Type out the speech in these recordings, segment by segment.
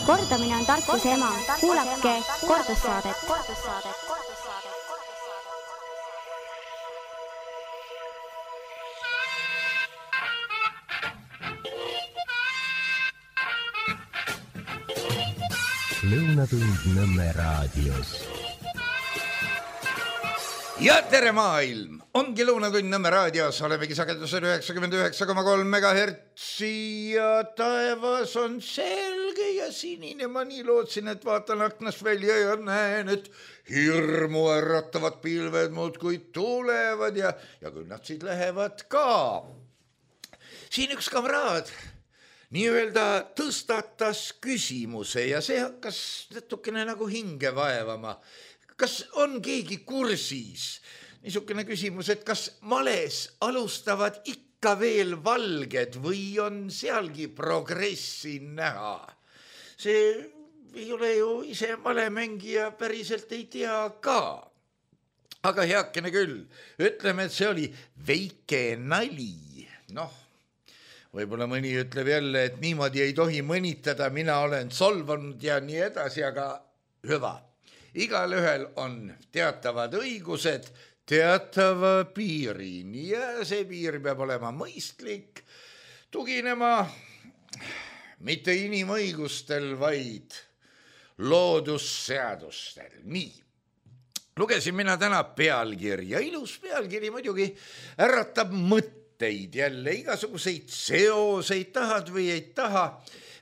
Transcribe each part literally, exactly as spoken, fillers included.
Kordamine on tarkuse ema. Kuulake kordussaadet. Lõunatund Nõmme raadios. Ja tere maailm! Ongi Lõunatund Nõmme raadios, olemegi sagedusel üheksakümmend üheksa koma kolm megahertsi ja taevas on selge ja sinine. Ma nii lootsin, et vaatan aknast välja ja näen, et hirmu äratavad pilved muudkui tulevad ja, ja küll nad siit lähevad ka. Siin üks kamraad nii-öelda tõstatas küsimuse ja see hakkas natukene nagu hinge vaevama. Kas on keegi kursis? Niisugune küsimus, et kas males alustavad ikka veel valged või on sealgi progressi näha? See ei ole ju ise malemängija, päriselt ei tea ka. Aga heakene küll, ütleme, et see oli väike nali. Noh, võib-olla mõni ütleb jälle, et niimoodi ei tohi mõnitada, mina olen solvanud ja nii edasi, aga hüva. Igal ühel on teatavad õigused teatava piirini ja see piir peab olema mõistlik, tuginema mitte inimõigustel, vaid loodusseadustel. Nii, lugesin mina täna pealkirja, ilus pealkiri muidugi äratab mõtteid jälle, igasuguseid seoseid, tahad või ei taha.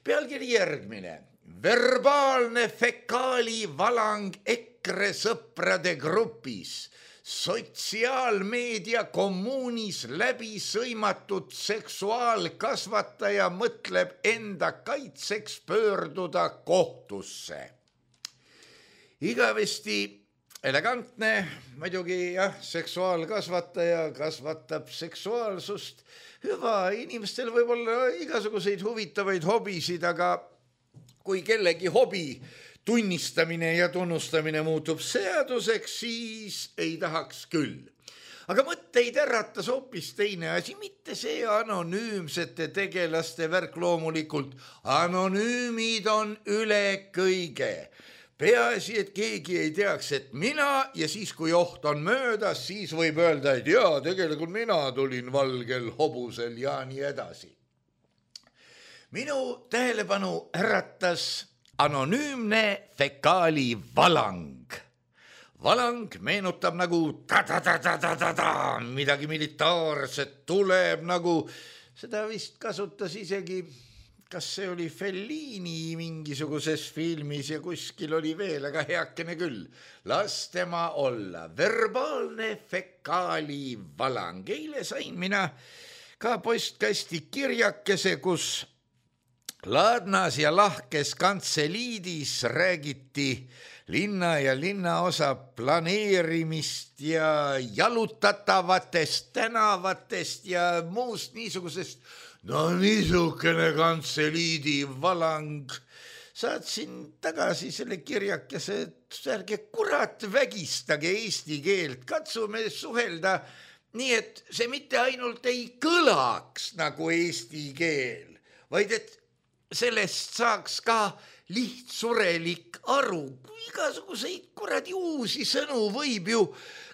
Pealkiri järgmine. Verbaalne fekaali valang EKRE sõprade grupis, sotsiaalmeedia kommuunis läbi sõimatud seksuaalkasvataja mõtleb enda kaitseks pöörduda kohtusse. Igavesti elegantne, muidugi jah, seksuaalkasvataja kasvatab seksuaalsust. Hüva, inimestel võib olla igasuguseid huvitavaid hobisid, aga kui kellegi hobi tunnistamine ja tunnustamine muutub seaduseks, siis ei tahaks küll. Aga mõtteid äratas hoopis teine asi, mitte see anonüümsete tegelaste värk loomulikult. Anonüümid on üle kõige. Peaasi, et keegi ei teaks, et mina ja siis, kui oht on möödas, siis võib öelda, et jaa, tegelikult mina tulin valgel hobusel ja nii edasi. Minu tähelepanu äratas anonüümne fekaali valang. Valang meenutab nagu ta-ta-ta-ta-ta-ta, midagi militaarset tuleb nagu, seda vist kasutas isegi, kas see oli Fellini mingisuguses filmis ja kuskil oli veel, aga heakene küll. Las tema olla, verbaalne fekaali valang. Eile sain mina ka postkasti kirjakese, kus Laadnas ja lahkes kantseliidis räägiti linna ja linnaosa planeerimist ja jalutatavatest tänavatest ja muust niisugusest, no niisugune kantseliidi valang. Saatsin tagasi selle kirjakese, et ärge kurat vägistage eesti keelt, katsume suhelda nii, et see mitte ainult ei kõlaks nagu eesti keel, vaid et sellest saaks ka lihtsurelik aru. Igasuguseid kuradi uusi sõnu võib ju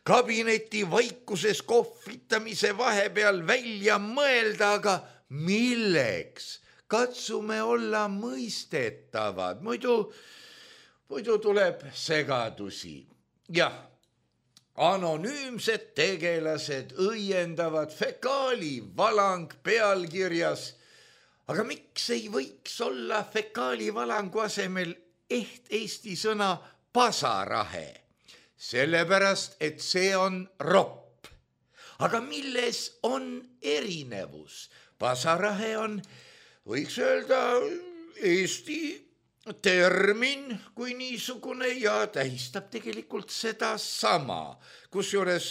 kabineti vaikuses kohvitamise vahepeal välja mõelda, aga milleks? Katsume olla mõistetavad, muidu, muidu tuleb segadusi. Jah, anonüümsed tegelased õiendavad fekaali valang pealkirjas. Aga miks ei võiks olla fekaali valangu asemel eht eesti sõna pasarahe? Sellepärast, et see on ropp. Aga milles on erinevus? Pasarahe on, võiks öelda, eesti termin kui niisugune ja tähistab tegelikult seda sama, kusjuures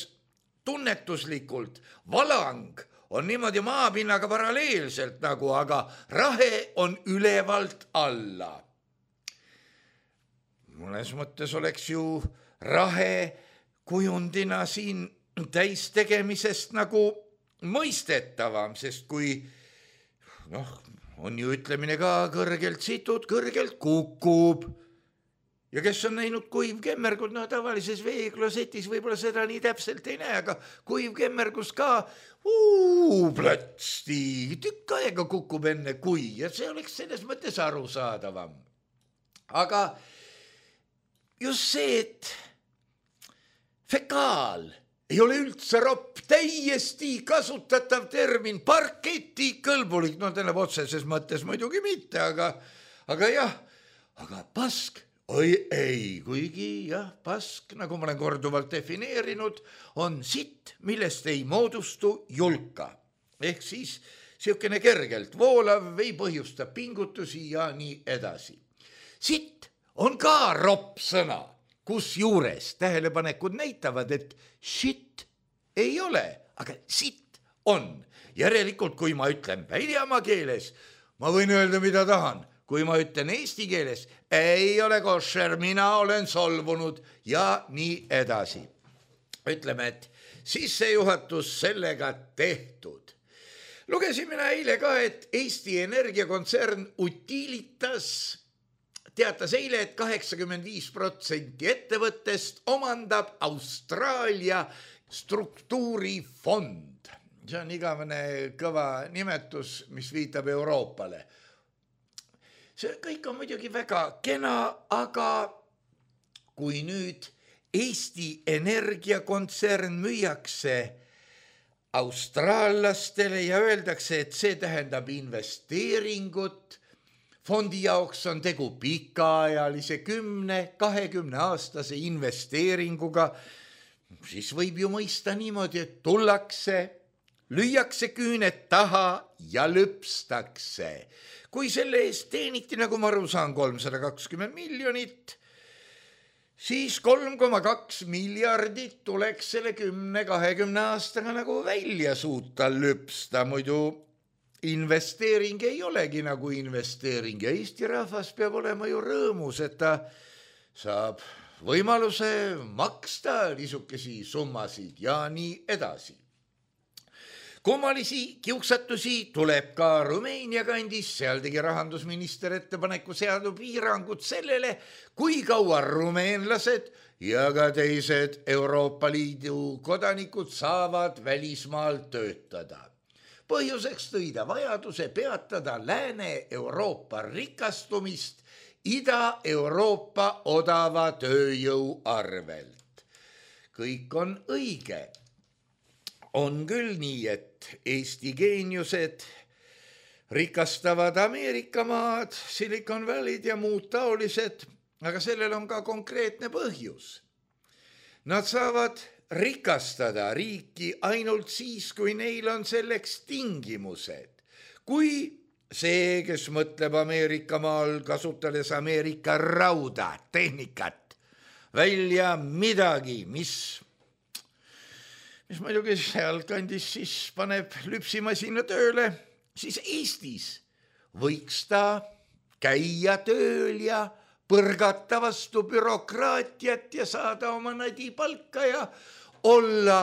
tunnetuslikult valang on niimoodi maapinnaga paralleelselt nagu, aga rahe on ülevalt alla. Mõnes mõttes oleks ju rahe kujundina siin täistegemisest nagu mõistetavam, sest kui noh, on ju ütlemine ka kõrgelt situd, kõrgelt kukub. Ja kes on näinud kuivkemmergut, no tavalises veeklosetis võib-olla seda nii täpselt ei näe, aga kuivkemmergus ka uu, plötsti, tükk aega kukub enne kui ja see oleks selles mõttes arusaadavam. Aga just see, et fekaal ei ole üldse ropp, täiesti kasutatav termin, parketi kõlbulik, no tähendab otseses mõttes muidugi mitte, aga, aga jah, aga pask, oi ei, kuigi jah, pask, nagu ma olen korduvalt defineerinud, on sitt, millest ei moodustu julka. Ehk siis siukene kergelt voolav, ei põhjusta pingutusi ja nii edasi. Sitt on ka ropp sõna, kus juures tähelepanekud näitavad, et shit ei ole, aga sitt on. Järelikult, kui ma ütlen väljamaa keeles, ma võin öelda, mida tahan. Kui ma ütlen eesti keeles, ei ole košer, mina olen solvunud ja nii edasi. Ütleme, et sissejuhatus sellega tehtud. Lugesin mina eile ka, et Eesti Energiakontsern Utilitas teatas eile, et kaheksakümmend viis protsenti ettevõttest omandab Austraalia struktuurifond. See on igavene kõva nimetus, mis viitab Euroopale. See kõik on muidugi väga kena, aga kui nüüd Eesti Energiakontsern müüakse austraallastele ja öeldakse, et see tähendab investeeringut, fondi jaoks on tegu pikaajalise kümne, kahekümne aastase investeeringuga, siis võib ju mõista niimoodi, et tullakse, lüüakse küüned taha ja lüpstakse. Kui selle eest teeniti, nagu ma aru saan, kolmsada kakskümmend miljonit, siis kolm koma kaks miljardit tuleks selle kümne kahekümne aastaga nagu välja suuta lüpsta, muidu investeering ei olegi nagu investeering ja Eesti rahvas peab olema ju rõõmus, et ta saab võimaluse maksta niisugesi summasid ja nii edasi. Kummalisi kiuksatusi tuleb ka Rumeenia kandis, seal tegi rahandusminister ettepaneku seada piirangud sellele, kui kaua rumeenlased ja ka teised Euroopa Liidu kodanikud saavad välismaal töötada. Põhjuseks tõi ta vajaduse peatada Lääne-Euroopa rikastumist Ida-Euroopa odava tööjõu arvelt. Kõik on õige. On küll nii, et Eesti geeniused rikastavad Ameerika maad, Silicon Valley'd ja muud taolised, aga sellel on ka konkreetne põhjus. Nad saavad rikastada riiki ainult siis, kui neil on selleks tingimused. Kui see, kes mõtleb Ameerika maal, kasutades Ameerika rauda, tehnikat, välja midagi, mis mis muidugi seal kandis siis paneb lüpsimasina tööle, siis Eestis võiks ta käia tööl ja põrgata vastu bürokraatiat ja saada oma nadi palka ja olla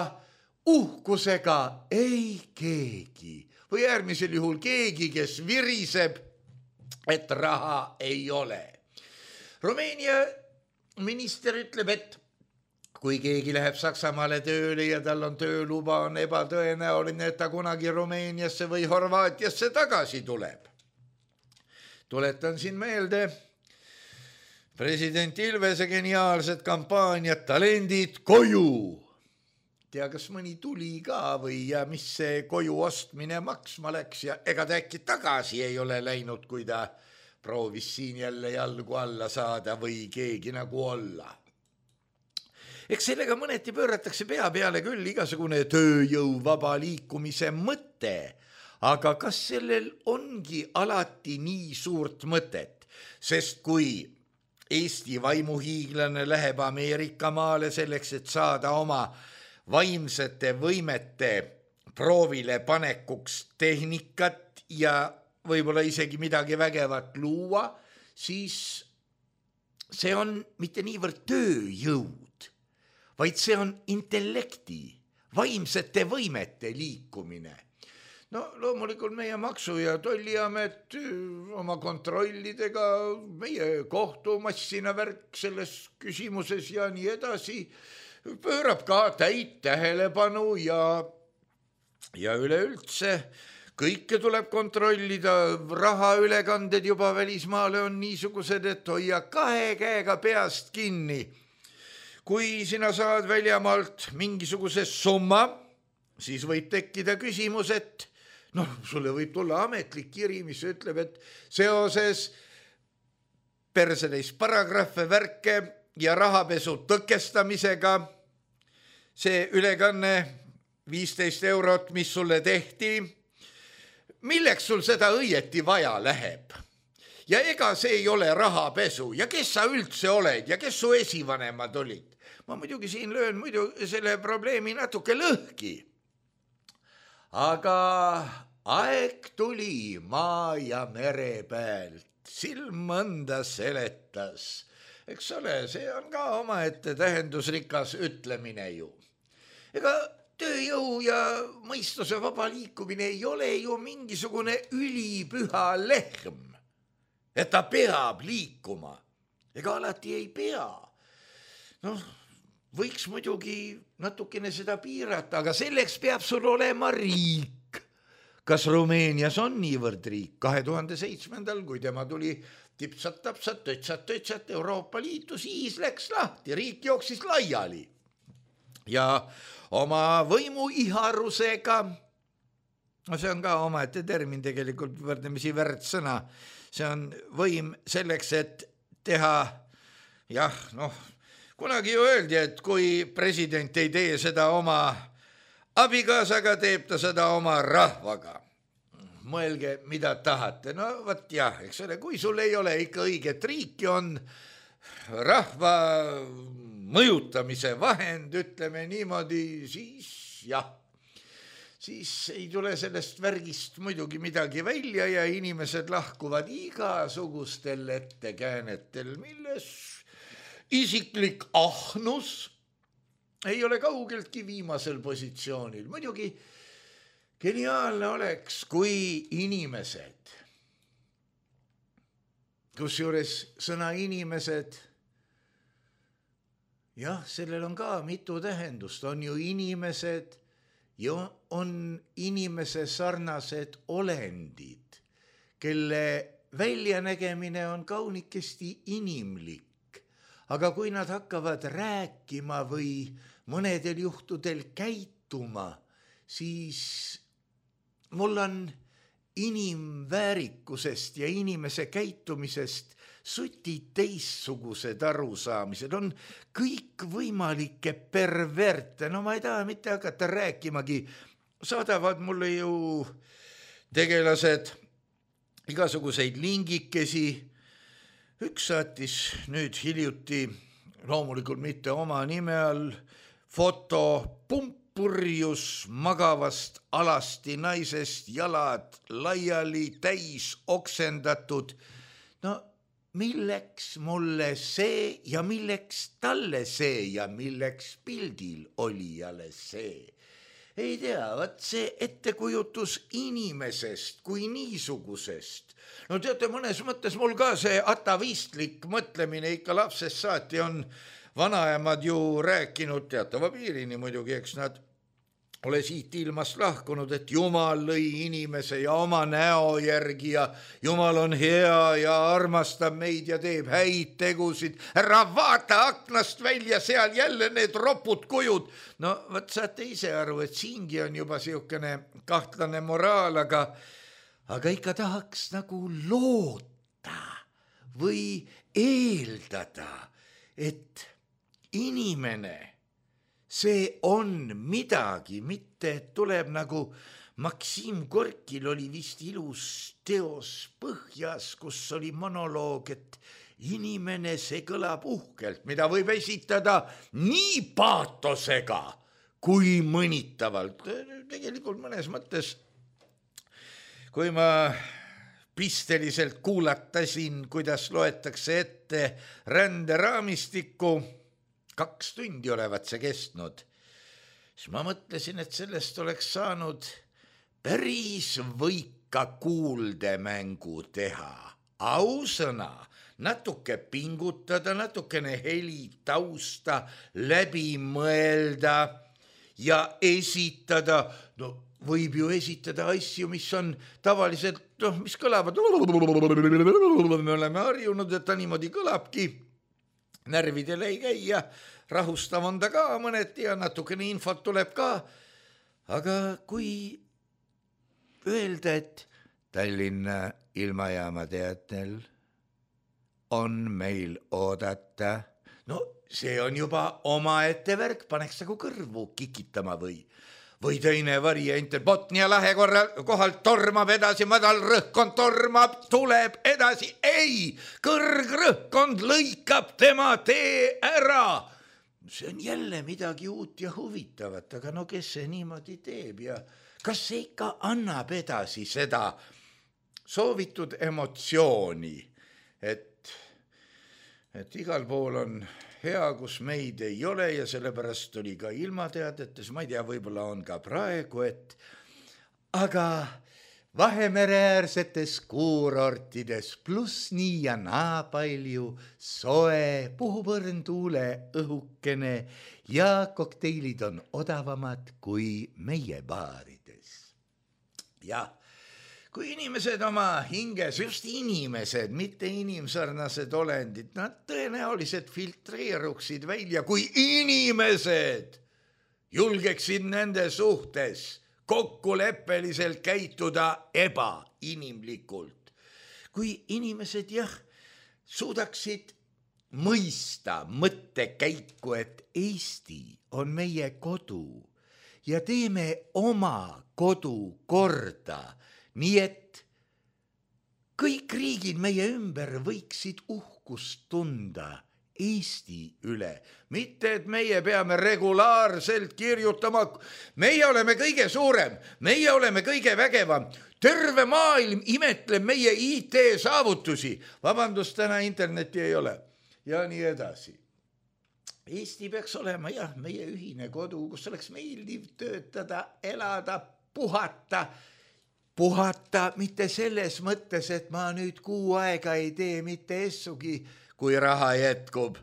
uhkusega ei keegi või äärmisel juhul keegi, kes viriseb, et raha ei ole. Rumeenia minister ütleb, et kui keegi läheb Saksamaale tööle ja tal on tööluba, on ebatõenäoline, et ta kunagi Rumeeniasse või Horvaatiasse tagasi tuleb. Tuletan siin meelde president Ilvese geniaalsed kampaaniad talendid koju. Tea, kas mõni tuli ka või ja mis see koju ostmine maksma läks ja ega ta äkki tagasi ei ole läinud, kui ta proovis siin jälle jalgu alla saada või keegi nagu olla. Eks sellega mõneti pööratakse pea peale küll igasugune tööjõu vaba liikumise mõte, aga kas sellel ongi alati nii suurt mõtet, sest kui Eesti vaimuhiiglane läheb Ameerika maale selleks, et saada oma vaimsete võimete proovile panekuks tehnikat ja võib-olla isegi midagi vägevat luua, siis see on mitte niivõrd tööjõud, vaid see on intellekti, vaimsete võimete liikumine. no loomulikult meie maksu- ja tolliamet oma kontrollidega, meie kohtumassina värk selles küsimuses ja nii edasi, pöörab ka täit tähelepanu ja, ja üleüldse kõike tuleb kontrollida, rahaülekanded juba välismaale on niisugused, et hoia kahe käega peast kinni. Kui sina saad väljamaalt mingisuguse summa, siis võib tekkida küsimus, et noh, sulle võib tulla ametlik kiri, mis ütleb, et seoses persedeis paragrahve, värke ja rahapesu tõkestamisega see ülekanne viisteist eurot, mis sulle tehti, milleks sul seda õieti vaja läheb? Ja ega see ei ole rahapesu ja kes sa üldse oled ja kes su esivanemad olid? Ma muidugi siin löön muidu selle probleemi natuke lõhki. Aga aeg tuli maa ja mere pealt, silm mõnda seletas. Eks ole, see on ka omaette tähendusrikas ütlemine ju. Ega tööjõu ja mõistuse vaba liikumine ei ole ju mingisugune ülipüha lehm, et ta peab liikuma. Ega alati ei pea. Noh, võiks muidugi natukene seda piirata, aga selleks peab sul olema riik. Kas Rumeenias on niivõrd riik? kahe tuhande seitsmendal, kui tema tuli tipsat-tapsat, tötsat-tötsat Euroopa Liitu, siis läks lahti, riik jooksis laiali. Ja oma võimu iharusega, no see on ka omaette termin tegelikult, võrdlemisi väärt sõna, see on võim selleks, et teha, jah, noh, kunagi ju öeldi, et kui president ei tee seda oma abikaasaga, teeb ta seda oma rahvaga. Mõelge, mida tahate. No võt jah, eks ole, kui sul ei ole ikka õiget riiki, on rahva mõjutamise vahend, ütleme niimoodi, siis jah, siis ei tule sellest värgist muidugi midagi välja ja inimesed lahkuvad igasugustel ettekäänetel, milles isiklik ahnus ei ole kaugeltki viimasel positsioonil. Muidugi geniaalne oleks, kui inimesed, kusjuures sõna inimesed, jah, sellel on ka mitu tähendust, on ju inimesed ja on inimese sarnased olendid, kelle väljanägemine on kaunikesti inimlik. Aga kui nad hakkavad rääkima või mõnedel juhtudel käituma, siis mul on inimväärikusest ja inimese käitumisest suti teissugused arusaamised. On kõik võimalikke perverte, no ma ei taha mitte hakata rääkimagi, saadavad mulle ju tegelased igasuguseid lingikesi. Üks saatis nüüd hiljuti, loomulikult mitte oma nime all, foto pumpurjus magavast alasti naisest, jalad laiali, täis oksendatud. No milleks mulle see ja milleks talle see ja milleks pildil olijale see? Ei tea, vaat see ettekujutus inimesest kui niisugusest. No teate, mõnes mõttes mul ka see atavistlik mõtlemine ikka lapsest saati on vanaemad ju rääkinud teatava piirini muidugi, eks nad ole siit ilmast lahkunud, et Jumal lõi inimese ja oma näo järgi ja Jumal on hea ja armastab meid ja teeb häid tegusid. Ära vaata aknast välja, seal jälle need ropud kujud. No võt saate ise aru, et siingi on juba siukene kahtlane moraal, aga, aga ikka tahaks nagu loota või eeldada, et inimene see on midagi, mitte tuleb nagu Maksim Gorkil oli vist ilus teos Põhjas, kus oli monoloog, et inimene, see kõlab uhkelt, mida võib esitada nii paatosega kui mõnitavalt. Tegelikult mõnes mõttes, kui ma pisteliselt kuulatasin, kuidas loetakse ette ränderaamistikku, kaks tundi olevat see kestnud, siis ma mõtlesin, et sellest oleks saanud päris võika kuuldemängu teha, ausõna, natuke pingutada, natukene heli tausta läbi mõelda ja esitada, no võib ju esitada asju, mis on tavaliselt, noh, mis kõlavad, me oleme harjunud, et ta niimoodi kõlabki, närvidele ei käi ja rahustav on ta ka mõneti ja natukene infot tuleb ka, aga kui öelda, et Tallinna ilmajaama teatel on meil oodata, no see on juba omaette värk, paneks nagu kõrvu kikitama või või teine variant, et Botnia lahe korral, kohalt tormab edasi, madal rõhkkond tormab, tuleb edasi, ei, kõrgrõhkkond lõikab tema tee ära. See on jälle midagi uut ja huvitavat, aga no kes see niimoodi teeb ja kas see ikka annab edasi seda soovitud emotsiooni, et, et igal pool on hea, kus meid ei ole ja sellepärast oli ka ilmateadetes, ma ei tea, võib-olla on ka praegu, et aga Vahemereäärsetes kuurortides pluss nii ja naa palju soe, puhub õrn tuule õhukene ja kokteilid on odavamad kui meie baarides. Jah, kui inimesed oma hinges, just inimesed, mitte inimsarnased olendid, nad tõenäoliselt filtreeruksid välja, kui inimesed julgeksid nende suhtes kokkuleppeliselt käituda ebainimlikult. Kui inimesed jah, suudaksid mõista mõttekäiku, et Eesti on meie kodu ja teeme oma kodu korda, nii et kõik riigid meie ümber võiksid uhkust tunda Eesti üle, mitte et meie peame regulaarselt kirjutama, meie oleme kõige suurem, meie oleme kõige vägevam, terve maailm imetleb meie I T saavutusi, vabandust, täna internetti ei ole ja nii edasi. Eesti peaks olema jah, meie ühine kodu, kus oleks meeldiv töötada, elada, puhata, puhata mitte selles mõttes, et ma nüüd kuu aega ei tee mitte essugi, kui raha jätkub,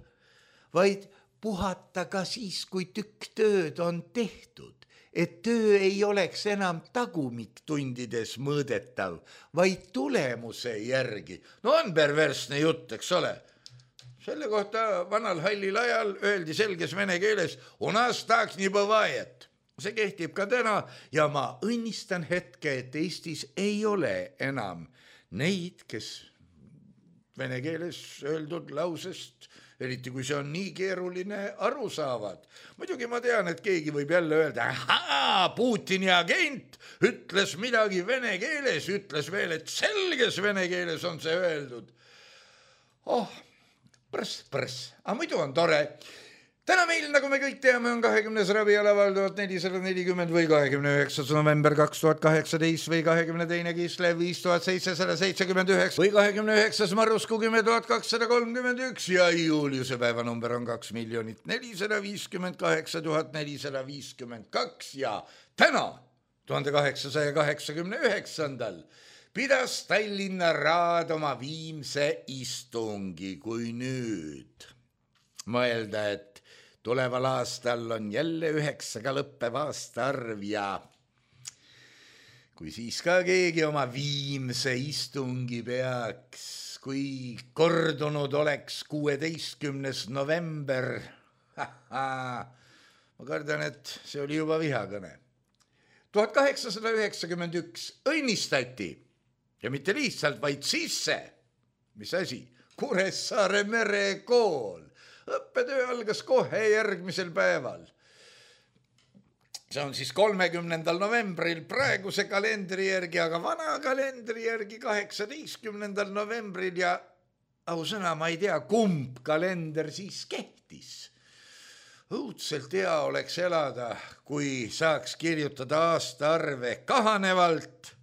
vaid puhata ka siis, kui tükk tööd on tehtud, et töö ei oleks enam tagumiktundides mõõdetav, vaid tulemuse järgi. No on perversne jutt, eks ole. Selle kohta vanal hallil ajal öeldi selges vene keeles, u nas tak не бывает. See kehtib ka täna ja ma õnnistan hetke, et Eestis ei ole enam neid, kes vene keeles öeldud lausest, eriti kui see on nii keeruline, aru saavad. Muidugi ma tean, et keegi võib jälle öelda, ahaa, Putini agent ütles midagi vene keeles, ütles veel, et selges vene keeles on see öeldud. Oh, prss, prss, aga muidu on tore. Täna meil, nagu me kõik teame, on kahekümnes ravialaval tuhat nelisada nelikümmend või kahekümne üheksas november kaks tuhat kaheksateist või kahekümne teine Kislev viis tuhat seitsesada seitsekümmend üheksa või kahekümne üheksas Marusku kümme tuhat kakssada kolmkümmend üks ja Juliuse päevanumber on kaks miljonit nelisada viiskümmend kaheksa tuhat nelisada viiskümmend kaks ja täna, tuhande kaheksasaja kaheksakümne üheksandal pidas Tallinna Raad oma viimse istungi, kui nüüd mõelda, et tuleval aastal on jälle üheksaga lõppev aastaarv ja kui siis ka keegi oma viimse istungi peaks, kui kordunud oleks kuueteistkümnes november, ma kardan, et see oli juba vihakõne. tuhat kaheksasada üheksakümmend üks õnnistati ja mitte lihtsalt, vaid sisse, mis asi, Kuressaare merekool. Õppetöö algas kohe järgmisel päeval. See on siis kolmekümnendal novembril praeguse kalendri järgi, aga vana kalendri järgi kaheksateistkümnendal novembril ja ausõna, ma ei tea, kumb kalender siis kehtis. Õudselt hea oleks elada, kui saaks kirjutada aastaarve kahanevalt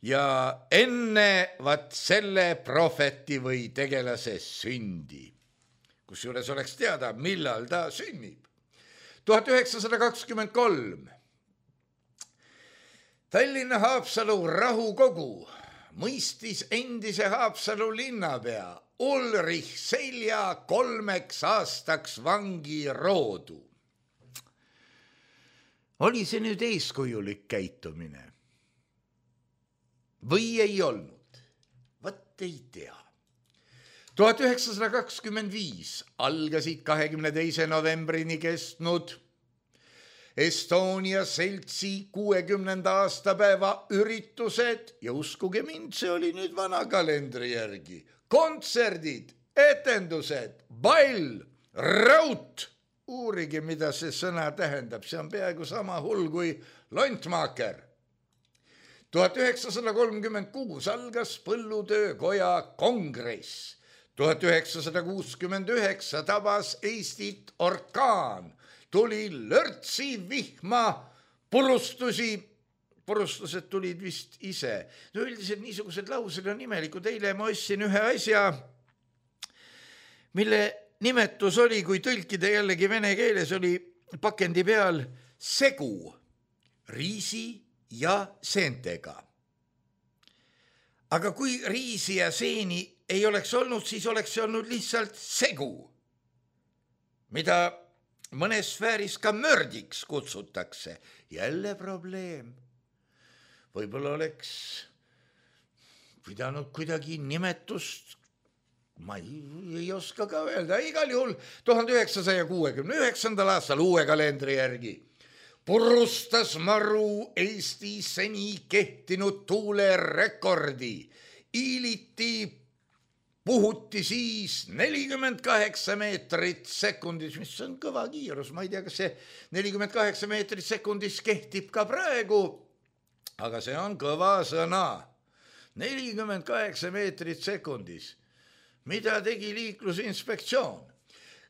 ja enne vat selle prohveti või tegelase sündi. Kusjuures oleks teada, millal ta sünnib. tuhat üheksasada kakskümmend kolm. Tallinna Haapsalu rahukogu mõistis endise Haapsalu linnapea Ulrich Selja kolmeks aastaks vangi roodu. Oli see nüüd eeskujulik käitumine? Või ei olnud? Vat ei tea. tuhat üheksasada kakskümmend viis algasid kahekümne teise novembrini kestnud Estonia seltsi kuuekümnenda aastapäeva üritused ja uskuge mind, see oli nüüd vana kalendri järgi. Kontserdid, etendused, ball, raut. Uurige, mida see sõna tähendab, see on peaaegu sama hull kui lontmaaker. tuhat üheksasada kolmkümmend kuus algas Põllutöökoja kongress. tuhat üheksasada kuuskümmend üheksa tabas Eestit orkaan. Tuli lörtsi, vihma, purustusi. Purustused tulid vist ise. No üldiselt niisugused laused on imelikud. Eile ma ostsin ühe asja, mille nimetus oli, kui tõlkida jällegi vene keeles, oli pakendi peal segu riisi ja seentega. Aga kui riisi ja seeni ei oleks olnud, siis oleks see olnud lihtsalt segu, mida mõnes sfääris ka mördiks kutsutakse. Jälle probleem. Võib-olla oleks pidanud kuidagi nimetust, ma ei, ei oska ka öelda. Igal juhul tuhande üheksasaja kuuekümne üheksandal aastal uue kalendri järgi purustas maru Eesti seni kehtinud tuulerekordi. Iiliti puhuti siis nelikümmend kaheksa meetrit sekundis, mis on kõva kiirus. Ma ei tea, kas see nelikümmend kaheksa meetrit sekundis kehtib ka praegu, aga see on kõva sõna. nelikümmend kaheksa meetrit sekundis. Mida tegi liiklusinspektsioon?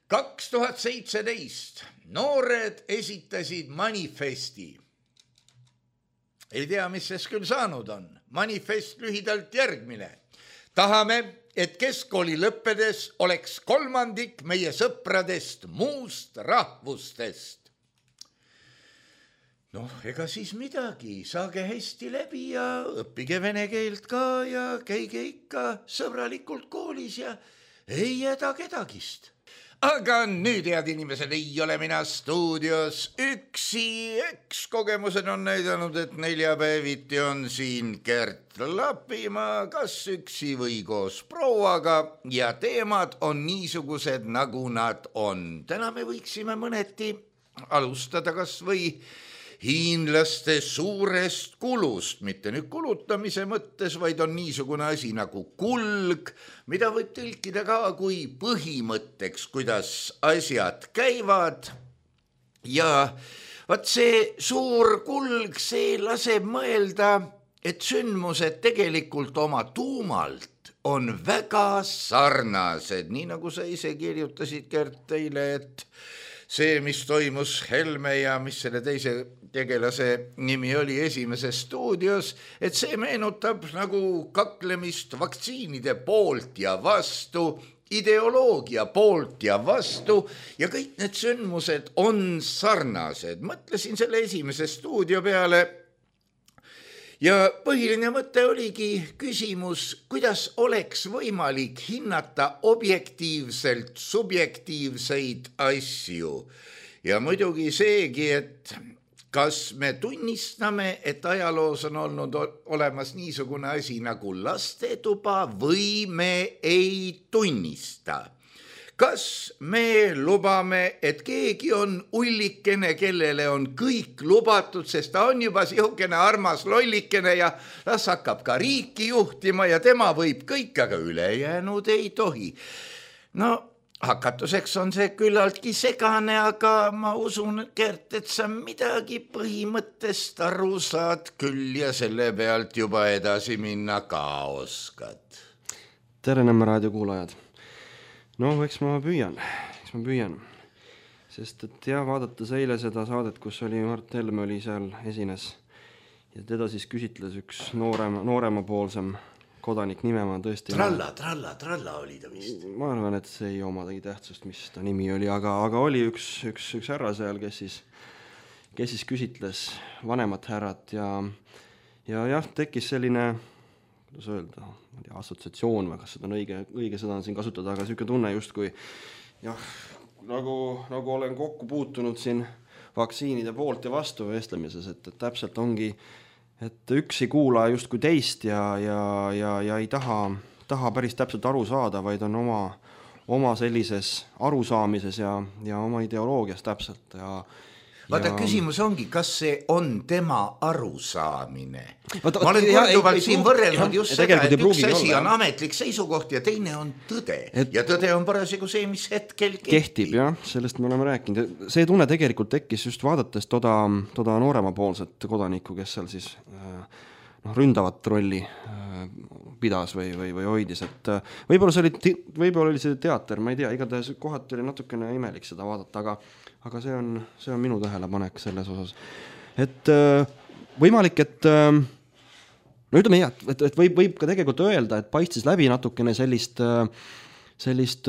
kaks tuhat seitseteist noored esitasid manifesti. Ei tea, mis sest küll saanud on. Manifest lühidalt järgmine. Tahame, et keskkooli lõppedes oleks kolmandik meie sõpradest muust rahvustest. Noh, ega siis midagi, saage hästi läbi ja õppige vene keelt ka ja käige ikka sõbralikult koolis ja ei jäda kedagist. Aga nüüd, head inimesed, ei ole mina stuudios üksi. Eks kogemused on näidanud, et neljapäeviti on siin Gert Lapimaa, kas üksi või koos prouaga ja teemad on niisugused, nagu nad on. Täna me võiksime mõneti alustada kas või hiinlaste suurest kulust, mitte nüüd kulutamise mõttes, vaid on niisugune asi nagu kulg, mida võib tõlkida ka kui põhimõtteks, kuidas asjad käivad. Ja vaat see suur kulg, see laseb mõelda, et sündmused tegelikult oma tuumalt on väga sarnased, nii nagu sa ise kirjutasid, Gert, teile, et see, mis toimus Helme ja mis selle teise tegelase nimi oli Esimeses stuudios, et see meenutab nagu kaklemist vaktsiinide poolt ja vastu, ideoloogia poolt ja vastu ja kõik need sündmused on sarnased. Mõtlesin selle Esimese stuudio peale ja põhiline mõte oligi küsimus, kuidas oleks võimalik hinnata objektiivselt subjektiivseid asju. Ja muidugi seegi, et kas me tunnistame, et ajaloos on olnud olemas niisugune asi nagu lastetuba või me ei tunnista? Kas me lubame, et keegi on ullikene, kellele on kõik lubatud, sest ta on juba sihukene armas lollikene ja las hakkab ka riiki juhtima ja tema võib kõik, aga ülejäänud ei tohi. No, hakatuseks on see küllaltki segane, aga ma usun, Gert, et sa midagi põhimõttest aru saad küll ja selle pealt juba edasi minna ka oskad. Tere, Nõmme raadio kuulajad. No, eks ma püüan, eks ma püüan. Sest et ja vaadates eile seda saadet, kus oli Mart Helme oli seal esines ja teda siis küsitles üks noorema, nooremapoolsem kodanik nime ma tõesti... Tralla, tralla, tralla oli ta vist. Ma arvan, et see ei omadagi tähtsust, mis ta nimi oli, aga, aga oli üks, üks, üks härra seal, kes siis, kes siis küsitles vanemat härrat ja, ja jah, tekkis selline, kuidas öelda, assotsiatsioon või kas seda on õige, õige sõda on siin kasutada, aga selline tunne just kui jah, nagu, nagu olen kokku puutunud siin vaktsiinide poolt ja vastu vestlemises, et, et täpselt ongi, et üks ei kuula just kui teist ja, ja, ja, ja ei taha, taha päris täpselt aru saada, vaid on oma, oma sellises arusaamises ja, ja oma ideoloogias täpselt ja vaata, ja... küsimus ongi, kas see on tema arusaamine. Vaata, ma olen korduvalt siin pruugi, võrrelnud just seda, et üks asi olla, on ametlik seisukoht ja teine on tõde. Et... Ja tõde on parasjagu see, mis hetkel kehtib. Kehtib, jah, sellest me oleme rääkinud. See tunne tegelikult tekkis just vaadates toda, toda nooremapoolset kodanikku, kes seal siis noh, ründavat rolli pidas või, või, või hoidis. Et võib-olla see oli, võib-olla oli see teater, ma ei tea, igatahes kohati oli natukene imelik seda vaadata, aga aga see on, see on minu tähelepanek selles osas. Et võimalik, et no ütleme jah, et, et võib, võib ka tegelikult öelda, et paistis läbi natukene sellist, sellist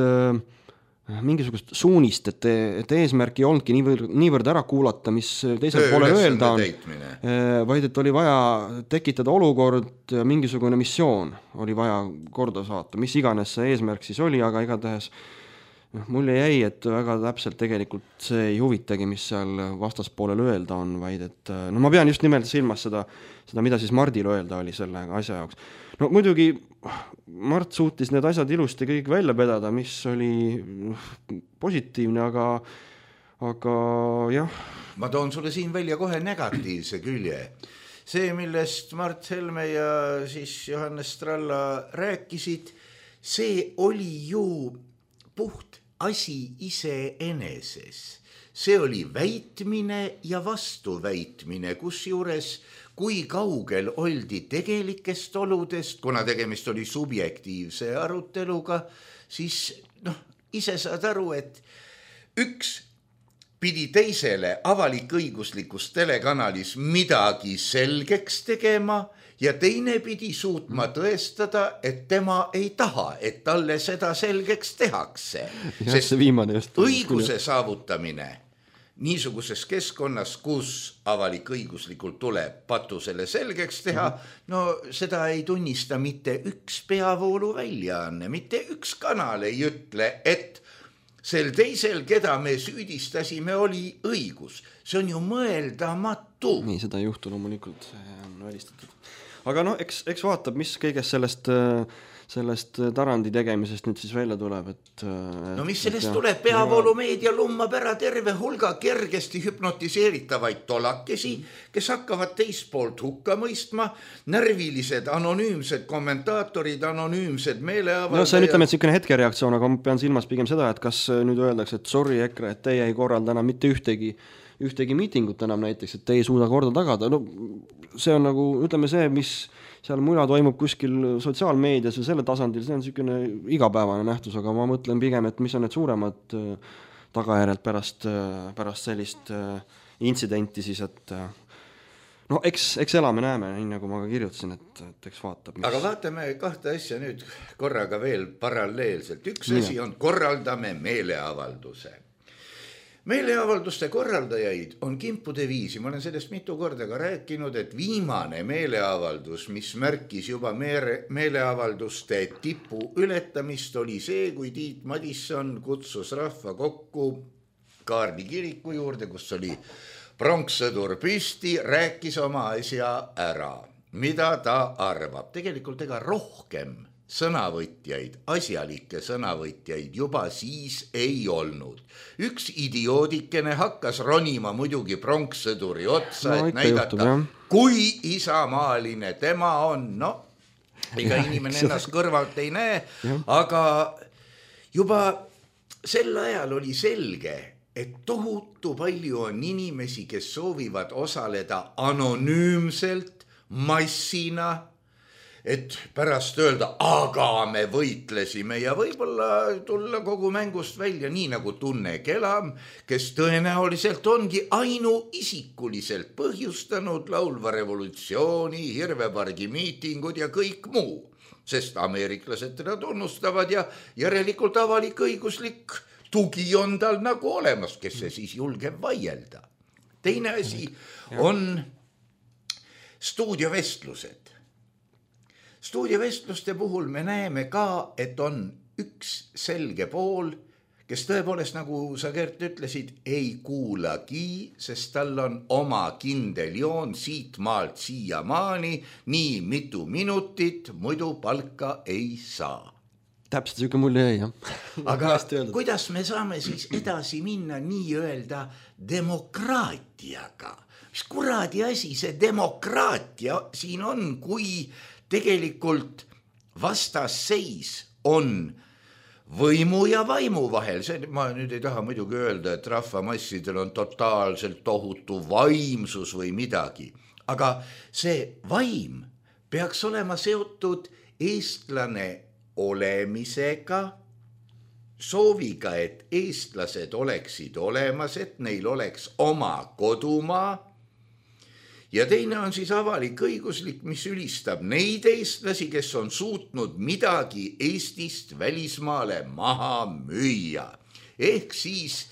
mingisugust suunist, et, et eesmärk ei olnudki niivõrd, niivõrd ära kuulata, mis teisel poole öelda on, vaid et oli vaja tekitada olukord, mingisugune missioon oli vaja korda saata, mis iganes see eesmärk siis oli, aga igatahes mulle jäi, et väga täpselt tegelikult see ei huvitagi, mis seal vastaspoolel öelda on, vaid et no ma pean just nimelt silmas seda, seda mida siis Mardil öelda oli selle asja jaoks. No muidugi Mart suutis need asjad ilusti kõik välja pedada, mis oli positiivne, aga, aga jah. Ma toon sulle siin välja kohe negatiivse külje. See, millest Mart Helme ja siis Johannes Stralla rääkisid, see oli ju puht asi ise eneses. See oli väitmine ja vastuväitmine, kus juures kui kaugel oldi tegelikest oludest, kuna tegemist oli subjektiivse aruteluga, siis noh, ise saad aru, et üks pidi teisele avalik-õiguslikus telekanalis midagi selgeks tegema ja teine pidi suutma tõestada, et tema ei taha, et talle seda selgeks tehakse. Sest õiguse saavutamine niisuguses keskkonnas, kus avalik-õiguslikult tuleb patusele selgeks teha, no seda ei tunnista mitte üks peavoolu väljaanne, mitte üks kanal ei ütle, et sel teisel, keda me süüdistasime, oli õigus. See on ju mõeldamatu. Nii, seda ei juhtu loomulikult, see on välistatud. Aga no, eks, eks vaatab, mis kõigest sellest, sellest Tarandi tegemisest nüüd siis välja tuleb. Et, no mis sellest et, tuleb? Peavoolumeedia lummab ära terve hulga kergesti hüpnotiseeritavaid tolakesi, kes hakkavad teist poolt hukka mõistma, närvilised, anonüümsed kommentaatorid, anonüümsed meeleavaldajad. No see on ütleme, et selline hetkereaktsioon, aga ma pean silmas pigem seda, et kas nüüd öeldakse, et sorry EKRE, et teie ei korralda enam mitte ühtegi ühtegi miitingut enam näiteks, et te ei suuda korda tagada. No see on nagu, ütleme see, mis seal muna toimub kuskil sotsiaalmeedias või selle tasandil, see on selline igapäevane nähtus, aga ma mõtlen pigem, et mis on need suuremad tagajärjed pärast, pärast sellist intsidenti siis, et no eks, eks elame näeme, nii nagu ma ka kirjutasin, et, et eks vaatab. Mis... Aga vaatame kahte asja nüüd korraga veel paralleelselt. Üks nii. Asi on korraldame meeleavalduse. Meeleavalduste korraldajaid on kimpude viisi. Ma olen sellest mitu korda ka rääkinud, et viimane meeleavaldus, mis märkis juba meele, meeleavalduste tipu ületamist, oli see, kui Tiit Madisson kutsus rahva kokku Kaarli kiriku juurde, kus oli pronkssõdur püsti, rääkis oma asja ära, mida ta arvab. Tegelikult ega rohkem sõnavõtjaid, asjalikke sõnavõtjaid juba siis ei olnud. Üks idioodikene hakkas ronima muidugi pronkssõduri otsa, no, et näidata, juhtub, kui isamaaline tema on. No, ega ja, inimene ennast kõrvalt ei näe, ja. Aga juba sel ajal oli selge, et tohutu palju on inimesi, kes soovivad osaleda anonüümselt, massina, et pärast öelda, aga me võitlesime ja võib-olla tulla kogu mängust välja, nii nagu Tunne Kelam, kes tõenäoliselt ongi ainuisikuliselt põhjustanud laulva revolutsiooni, Hirvepargi miitingud ja kõik muu, sest ameeriklased teda tunnustavad ja järelikult avalik-õiguslik tugi on tal nagu olemas, kes see siis julgeb vaielda. Teine asi on stuudiovestlused. Stuudiovestluste puhul me näeme ka, et on üks selge pool, kes tõepoolest, nagu sa Gert ütlesid, ei kuulagi, sest tal on oma kindel joon siit maalt siia maani, nii mitu minutit, muidu palka ei saa. Täpselt siuke mulje ei, jah. Aga kuidas me saame siis edasi minna nii-öelda demokraatiaga? Mis kuradi asi see demokraatia siin on, kui tegelikult vastasseis on võimu ja vaimu vahel. See, ma nüüd ei taha muidugi öelda, et rahvamassidel on totaalselt tohutu vaimsus või midagi. Aga see vaim peaks olema seotud eestlane olemisega, sooviga, et eestlased oleksid olemas, et neil oleks oma kodumaa. Ja teine on siis avalik õiguslik, mis ülistab neid eestlasi, kes on suutnud midagi Eestist välismaale maha müüa. Ehk siis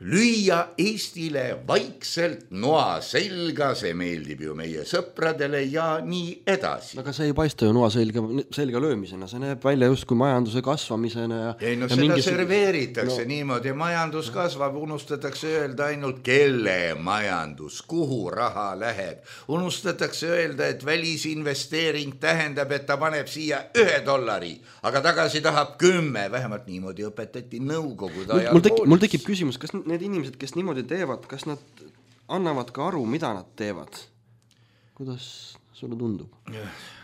lüüa Eestile vaikselt noa selga, see meeldib ju meie sõpradele ja nii edasi. Aga see ei paista ju noa selga, selga löömisena, see näeb välja just kui majanduse kasvamisena. Ja, ei no ja seda mingis... serveeritakse no. niimoodi, majandus kasvab, unustatakse öelda ainult kelle majandus, kuhu raha läheb. Unustatakse öelda, et välisinvesteering tähendab, et ta paneb siia ühe dollari, aga tagasi tahab kümme, vähemalt niimoodi õpetati nõukogude ajal. Mul, tekib, mul tekib küsimus, kas need inimesed, kes niimoodi teevad, kas nad annavad ka aru, mida nad teevad? Kuidas sulle tundub?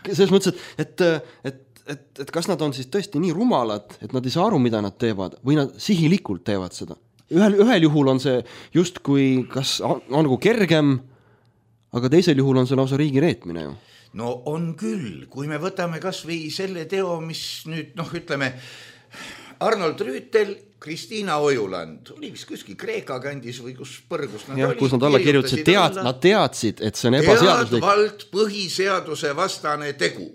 Selles mõttes, et, et, et, et, et kas nad on siis tõesti nii rumalad, et nad ei saa aru, mida nad teevad, või nad sihilikult teevad seda? Ühel, ühel juhul on see just kui, kas on, on nagu kergem, aga teisel juhul on see lausa riigi reetmine ju. No on küll, kui me võtame kas või selle teo, mis nüüd, noh, ütleme, Arnold Rüütel, Kristiina Ojuland, oli vist kuskil Kreeka kandis või kus põrgus nad ja, olid. Kus nad alla kirjutasid, tead, nad teadsid, et see on ebaseaduslik. Teadvalt põhiseaduse vastane tegu.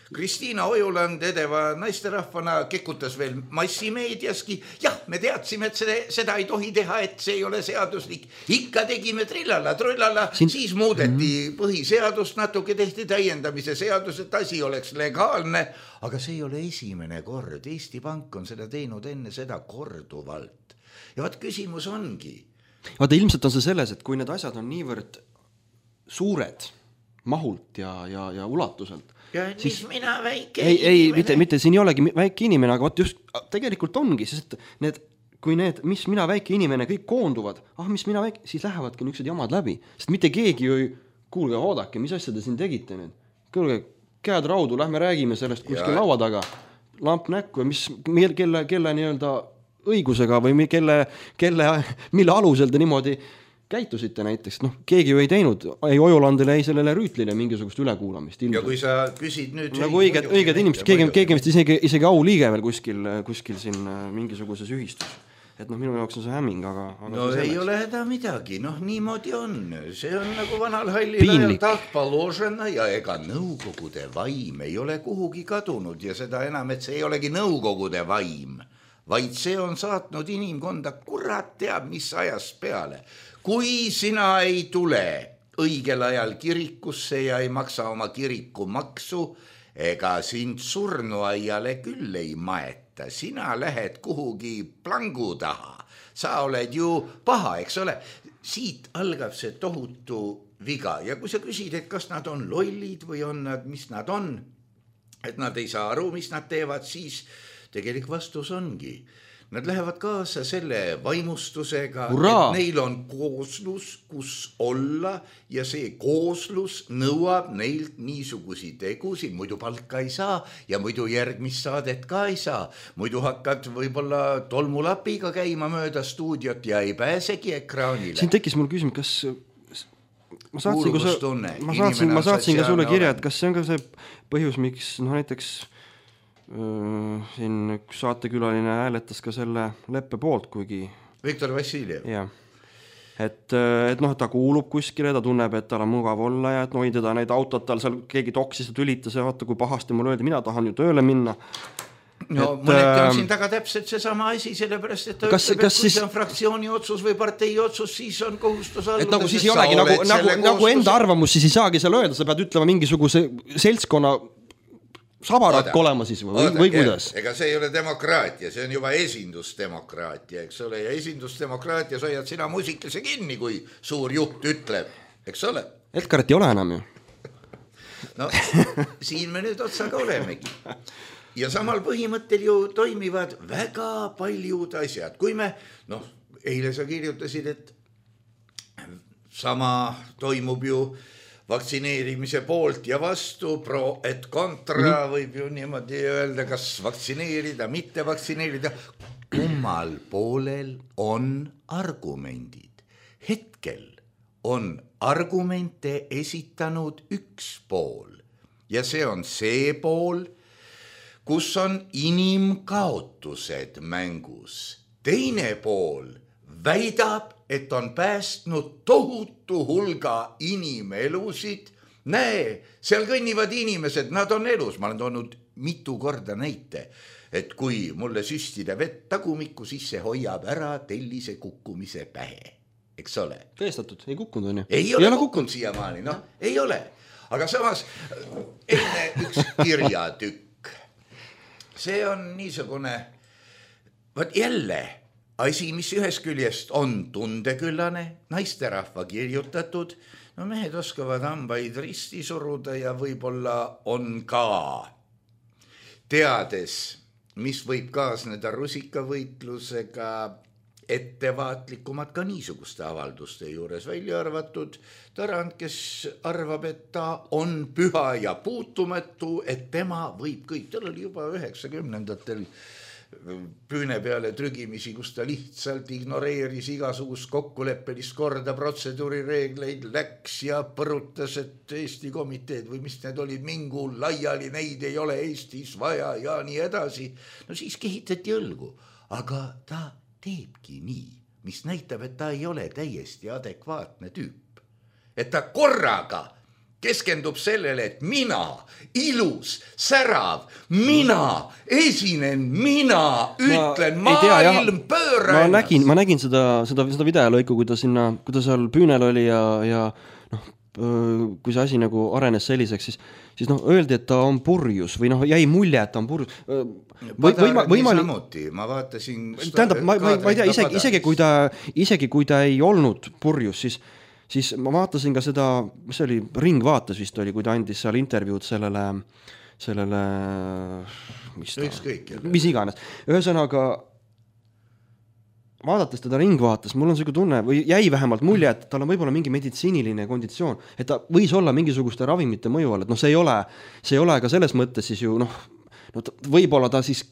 Kristiina Ojuland edeva naisterahvana kekutas veel massimeediaski. Jah, me teadsime, et seda, seda ei tohi teha, et see ei ole seaduslik. Ikka tegime trillala, trullala, Siin... siis muudeti mm-hmm. põhiseadust, natuke tehti täiendamise seadus, et asi oleks legaalne. Aga see ei ole esimene kord. Eesti Pank on seda teinud enne seda korduvalt. Ja vaat küsimus ongi. Vaata, ilmselt on see selles, et kui need asjad on niivõrd suured mahult ja, ja, ja ulatuselt, ja siis, mis mina väike ei, ei, mitte, mitte siin ei olegi väike inimene, aga vaat just tegelikult ongi, sest need, kui need, mis mina väike inimene kõik koonduvad, ah, mis mina väike, siis lähevadki niisugused jamad läbi, sest mitte keegi ju, kuulge, oodake, mis asja te siin tegite nüüd? Kuulge, käed raudu, lähme räägime sellest kuskil laua taga, lamp näkku ja mis, kelle, kelle nii-öelda õigusega või kelle, kelle, mille alusel te niimoodi käitusite näiteks, noh, keegi ju ei teinud, ei Ojulandile, ei sellele Rüütlile mingisugust ülekuulamist. Ilmselt. Ja kui sa küsid nüüd... Nagu õiged, õiged inimesed, keegi, keegi vist isegi, isegi au liige veel kuskil, kuskil siin mingisuguses ühistus. Et noh, minu jaoks on see hämming, aga... aga no ei ole häda midagi, noh, niimoodi on. See on nagu vanal hallil ajal tahtpaložena ja ega nõukogude vaim ei ole kuhugi kadunud ja seda enam, et see ei olegi nõukogude vaim, vaid see on saatnud inimkonda kurat teab, mis ajast peale. Kui sina ei tule õigel ajal kirikusse ja ei maksa oma kiriku maksu, ega sind surnuaiale küll ei maeta. Sina lähed kuhugi plangu taha. Sa oled ju paha, eks ole. Siit algab see tohutu viga. Ja kui sa küsid, et kas nad on lollid või on nad, mis nad on, et nad ei saa aru, mis nad teevad, siis tegelik vastus ongi. Nad lähevad kaasa selle vaimustusega, Ura! Et neil on kooslus, kus olla ja see kooslus nõuab neilt niisugusi tegusi, muidu palka ei saa ja muidu järgmist saadet ka ei saa. Muidu hakkad võib-olla tolmulapiga käima mööda stuudiot ja ei pääsegi ekraanile. Siin tekkis mul küsimus, kas ma saatsin, sa... ma saatsin, ma saatsin ka sulle kirja, et kas see on ka see põhjus, miks no näiteks siin üks saatekülaline hääletas ka selle leppe poolt, kuigi... Viktor Vassiljev. Jah. Et, et noh, ta kuulub kuskile, ta tunneb, et tal on mugav olla ja et no, teda neid autod, tal seal keegi toksis ja tülitas ja vaata, kui pahasti mul öeldi, mina tahan ju tööle minna. no mõneti on siin taga täpselt seesama asi, sellepärast, et ta kas, ütleb, kas et kui siis... see on fraktsiooni otsus või partei otsus, siis on kohustus alluda. Et nagu siis ei olegi, nagu, nagu, nagu enda arvamus siis ei saagi seal öelda, sa pead ütlema mingisuguse seltskonna sabarakk olema siis või, oda, või kuidas? Ega see ei ole demokraatia, see on juba esindusdemokraatia, eks ole, ja esindusdemokraatias hoiad sina muusikese kinni, kui suur juht ütleb, eks ole. Edgarit ei ole enam ju. No siin me nüüd otsaga olemegi. Ja samal põhimõttel ju toimivad väga paljud asjad. Kui me, noh, eile sa kirjutasid, et sama toimub ju vaktsineerimise poolt ja vastu, pro et kontra, võib ju niimoodi öelda, kas vaktsineerida, mitte vaktsineerida. Kummal poolel on argumendid. Hetkel on argumente esitanud üks pool ja see on see pool, kus on inimkaotused mängus. Teine pool väidab, et on päästnud tohutu hulga inimelusid. Näe, seal kõnnivad inimesed, nad on elus. Ma olen toonud mitu korda näite, et kui mulle süstida vett tagumikku, siis see hoiab ära tellise kukkumise pähe. Eks ole? Tõestatud, ei kukkunud on ju. Ei ole, ei ole kukkunud siiamaani, noh, ei ole. Aga samas, enne üks kirjatükk. See on niisugune, võt jälle, asi, mis ühest küljest on tundeküllane, naisterahva kirjutatud, no mehed oskavad hambaid risti suruda ja võib-olla on ka teades, mis võib kaasneda rusikavõitlusega, ettevaatlikumad ka niisuguste avalduste juures, välja arvatud Tarand, kes arvab, et ta on püha ja puutumatu, et tema võib kõik, tal oli juba üheksakümnendatel püüne peale trügimisi, kus ta lihtsalt ignoreeris igasugust kokkuleppelist korda, protseduurireegleid, läks ja põrutas, et Eesti komiteed või mis need olid, mingu laiali, neid ei ole Eestis vaja ja nii edasi. No siis kehitati õlgu, aga ta teebki nii, mis näitab, et ta ei ole täiesti adekvaatne tüüp. Et ta korraga keskendub sellele, et mina, ilus, särav, mina esinen, mina ütlen, ma maailm pööra ma nägin, ma nägin seda, seda, seda videolõiku, kui ta sinna, kui ta seal püünel oli ja, ja noh, kui see asi nagu arenes selliseks, siis, siis noh, öeldi, et ta on purjus või noh, jäi mulje, et ta on purjus. Või, võima, võimali... samuti, ma vaatasin... Tähendab, ma, ma, ma ei tea, isegi, isegi, kui ta, isegi kui ta ei olnud purjus, siis siis ma vaatasin ka seda, mis oli, Ringvaates vist oli, kui ta andis seal intervjuud sellele, sellele, mis ta, Ükskõik, mis iganes. Ühesõnaga, vaadates teda Ringvaates, mul on selline tunne, või jäi vähemalt mulje, et tal on võib-olla mingi meditsiiniline konditsioon, et ta võis olla mingisuguste ravimite mõju all, et noh, see ei ole, see ei ole ka selles mõttes siis ju, noh, no, võib-olla ta siis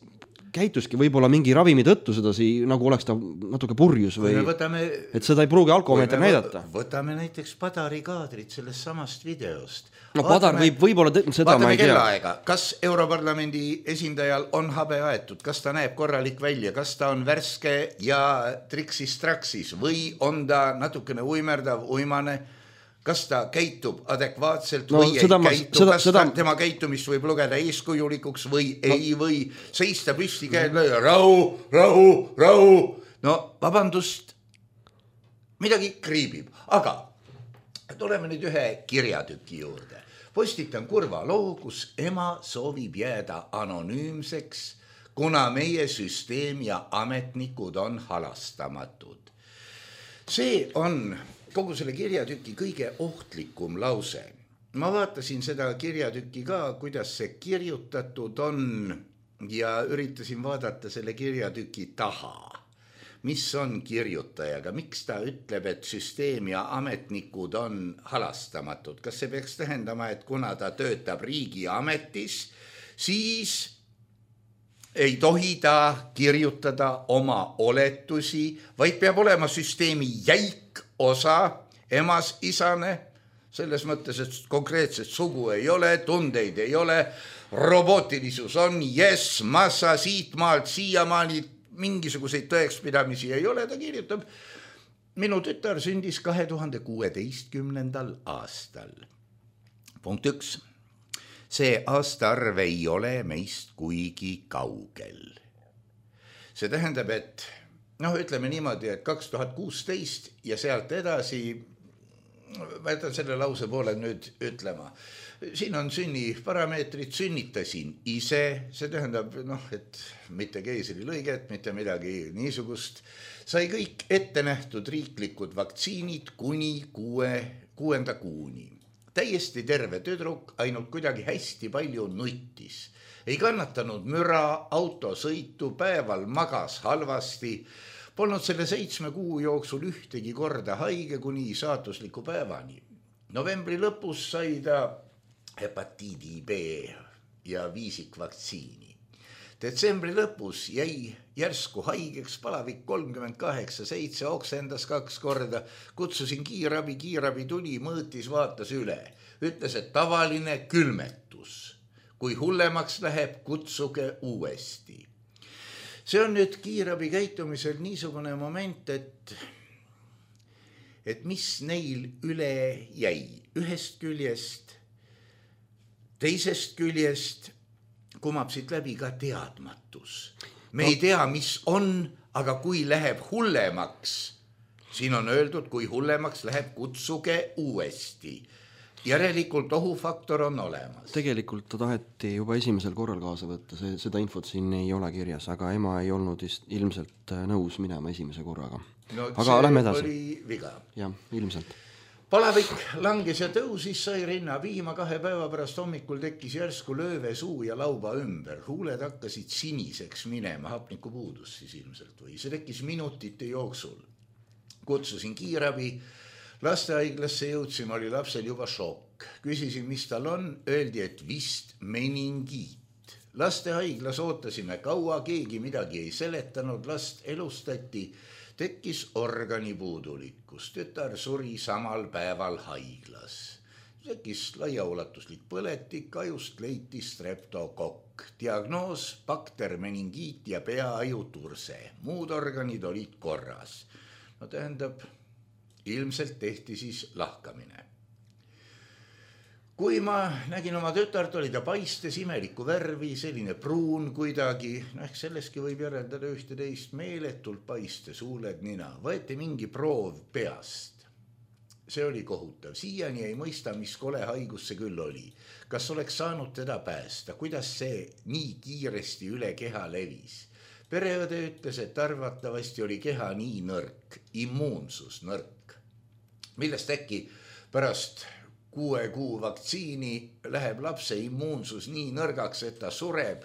käituski võib-olla mingi ravimi tõttu seda sii, nagu oleks ta natuke purjus või võtame, et seda ei pruugi alkomeeter näidata. Võtame näiteks Padari kaadrit sellest samast videost. No Padar võib võib-olla tõ- seda ma ei tea. Kellaaega. Kas Europarlamendi esindajal on habe aetud, kas ta näeb korralik välja, kas ta on värske ja triksis traksis või on ta natukene uimerdav, uimane, kas ta käitub adekvaatselt no, või ei ma, käitu, seda, kas seda... Ta, tema käitumist võib lugeda eeskujulikuks või no. ei või seista püsti käed lööda, rahu, rahu, rahu. No vabandust, midagi kriibib, aga tuleme nüüd ühe kirjatüki juurde. Postitan kurva loo, kus ema soovib jääda anonüümseks, kuna meie süsteem ja ametnikud on halastamatud. See on... kogu selle kirjatüki kõige ohtlikum lause. Ma vaatasin seda kirjatüki ka, kuidas see kirjutatud on ja üritasin vaadata selle kirjatüki taha. Mis on kirjutajaga? Miks ta ütleb, et süsteem ja ametnikud on halastamatud? Kas see peaks tähendama, et kuna ta töötab riigi ametis, siis ei tohi ta kirjutada oma oletusi, vaid peab olema süsteemi jäik osa, emas, isane, selles mõttes, et konkreetset sugu ei ole, tundeid ei ole, robotilisus on, yes, massa siit maalt, siiamaani mingisuguseid tõekspidamisi ei ole, ta kirjutab, minu tütar sündis kahe tuhande kuueteistkümnendal aastal. Punkt üks. see aastaarv ei ole meist kuigi kaugel. See tähendab, et noh, ütleme niimoodi, et kaks tuhat kuusteist ja sealt edasi, ma jätan selle lause poole nüüd ütlema, siin on sünniparameetrid, sünnitasin ise, see tähendab, noh, et mitte keisrilõiget, mitte midagi niisugust, sai kõik ette nähtud riiklikud vaktsiinid kuni kuue, kuuenda kuuni. Täiesti terve tüdruk, ainult kuidagi hästi palju nuttis. Ei kannatanud müra, autosõitu, päeval magas halvasti, polnud selle seitsme kuu jooksul ühtegi korda haige kuni saatusliku päevani. Novembri lõpus sai ta hepatiidi B ja viisikvaktsiini. Detsembri lõpus jäi järsku haigeks, palavik kolmkümmend kaheksa seitse, oksendas kaks korda, kutsusin kiirabi, kiirabi tuli, mõõtis, vaatas üle. Ütles, et tavaline külmetus. Kui hullemaks läheb, kutsuge uuesti. See on nüüd kiirabi käitumisel niisugune moment, et, et mis neil üle jäi. Ühest küljest, teisest küljest kumab siit läbi ka teadmatus. Me ei tea, mis on, aga kui läheb hullemaks, siin on öeldud, kui hullemaks läheb, kutsuge uuesti. Järelikult ohufaktor on olemas. Tegelikult ta taheti juba esimesel korral kaasa võtta, see, seda infot siin ei ole kirjas, aga ema ei olnud ilmselt nõus minema esimese korraga. No, aga lähme edasi. Oli viga. Jah, ilmselt. Palavik langes ja tõusis, sai rinna viima, kahe päeva pärast hommikul tekkis järsku lööve suu ja lauba ümber. Huuled hakkasid siniseks minema, hapniku puudus siis ilmselt või. See tekkis minutite jooksul. Kutsusin kiirabi. Lastehaiglasse jõudsime, oli lapsel juba šokk. Küsisin, mis tal on, öeldi, et vist meningiit. Lastehaiglas ootasime kaua, keegi midagi ei seletanud, last elustati, tekkis organipuudulikkus. Tütar suri samal päeval haiglas. Tekkis laiaulatuslik põletik, ajust leiti streptokokk. Diagnoos, bakter, meningiit ja peaaju turse. Muud organid olid korras. No tähendab, ilmselt tehti siis lahkamine. Kui ma nägin oma tütart, oli ta paistes imeliku värvi, selline pruun kuidagi, no ehk selleski võib järeldada ühte teist meeletult paistes, huuled, nina. Võeti mingi proov peast. See oli kohutav. Siiani ei mõista, mis kole haigus see küll oli. Kas oleks saanud teda päästa? Kuidas see nii kiiresti üle keha levis? Pereõde ütles, et arvatavasti oli keha nii nõrk, immuunsus nõrk. Millest äkki pärast kuue kuu vaktsiini läheb lapse immuunsus nii nõrgaks, et ta sureb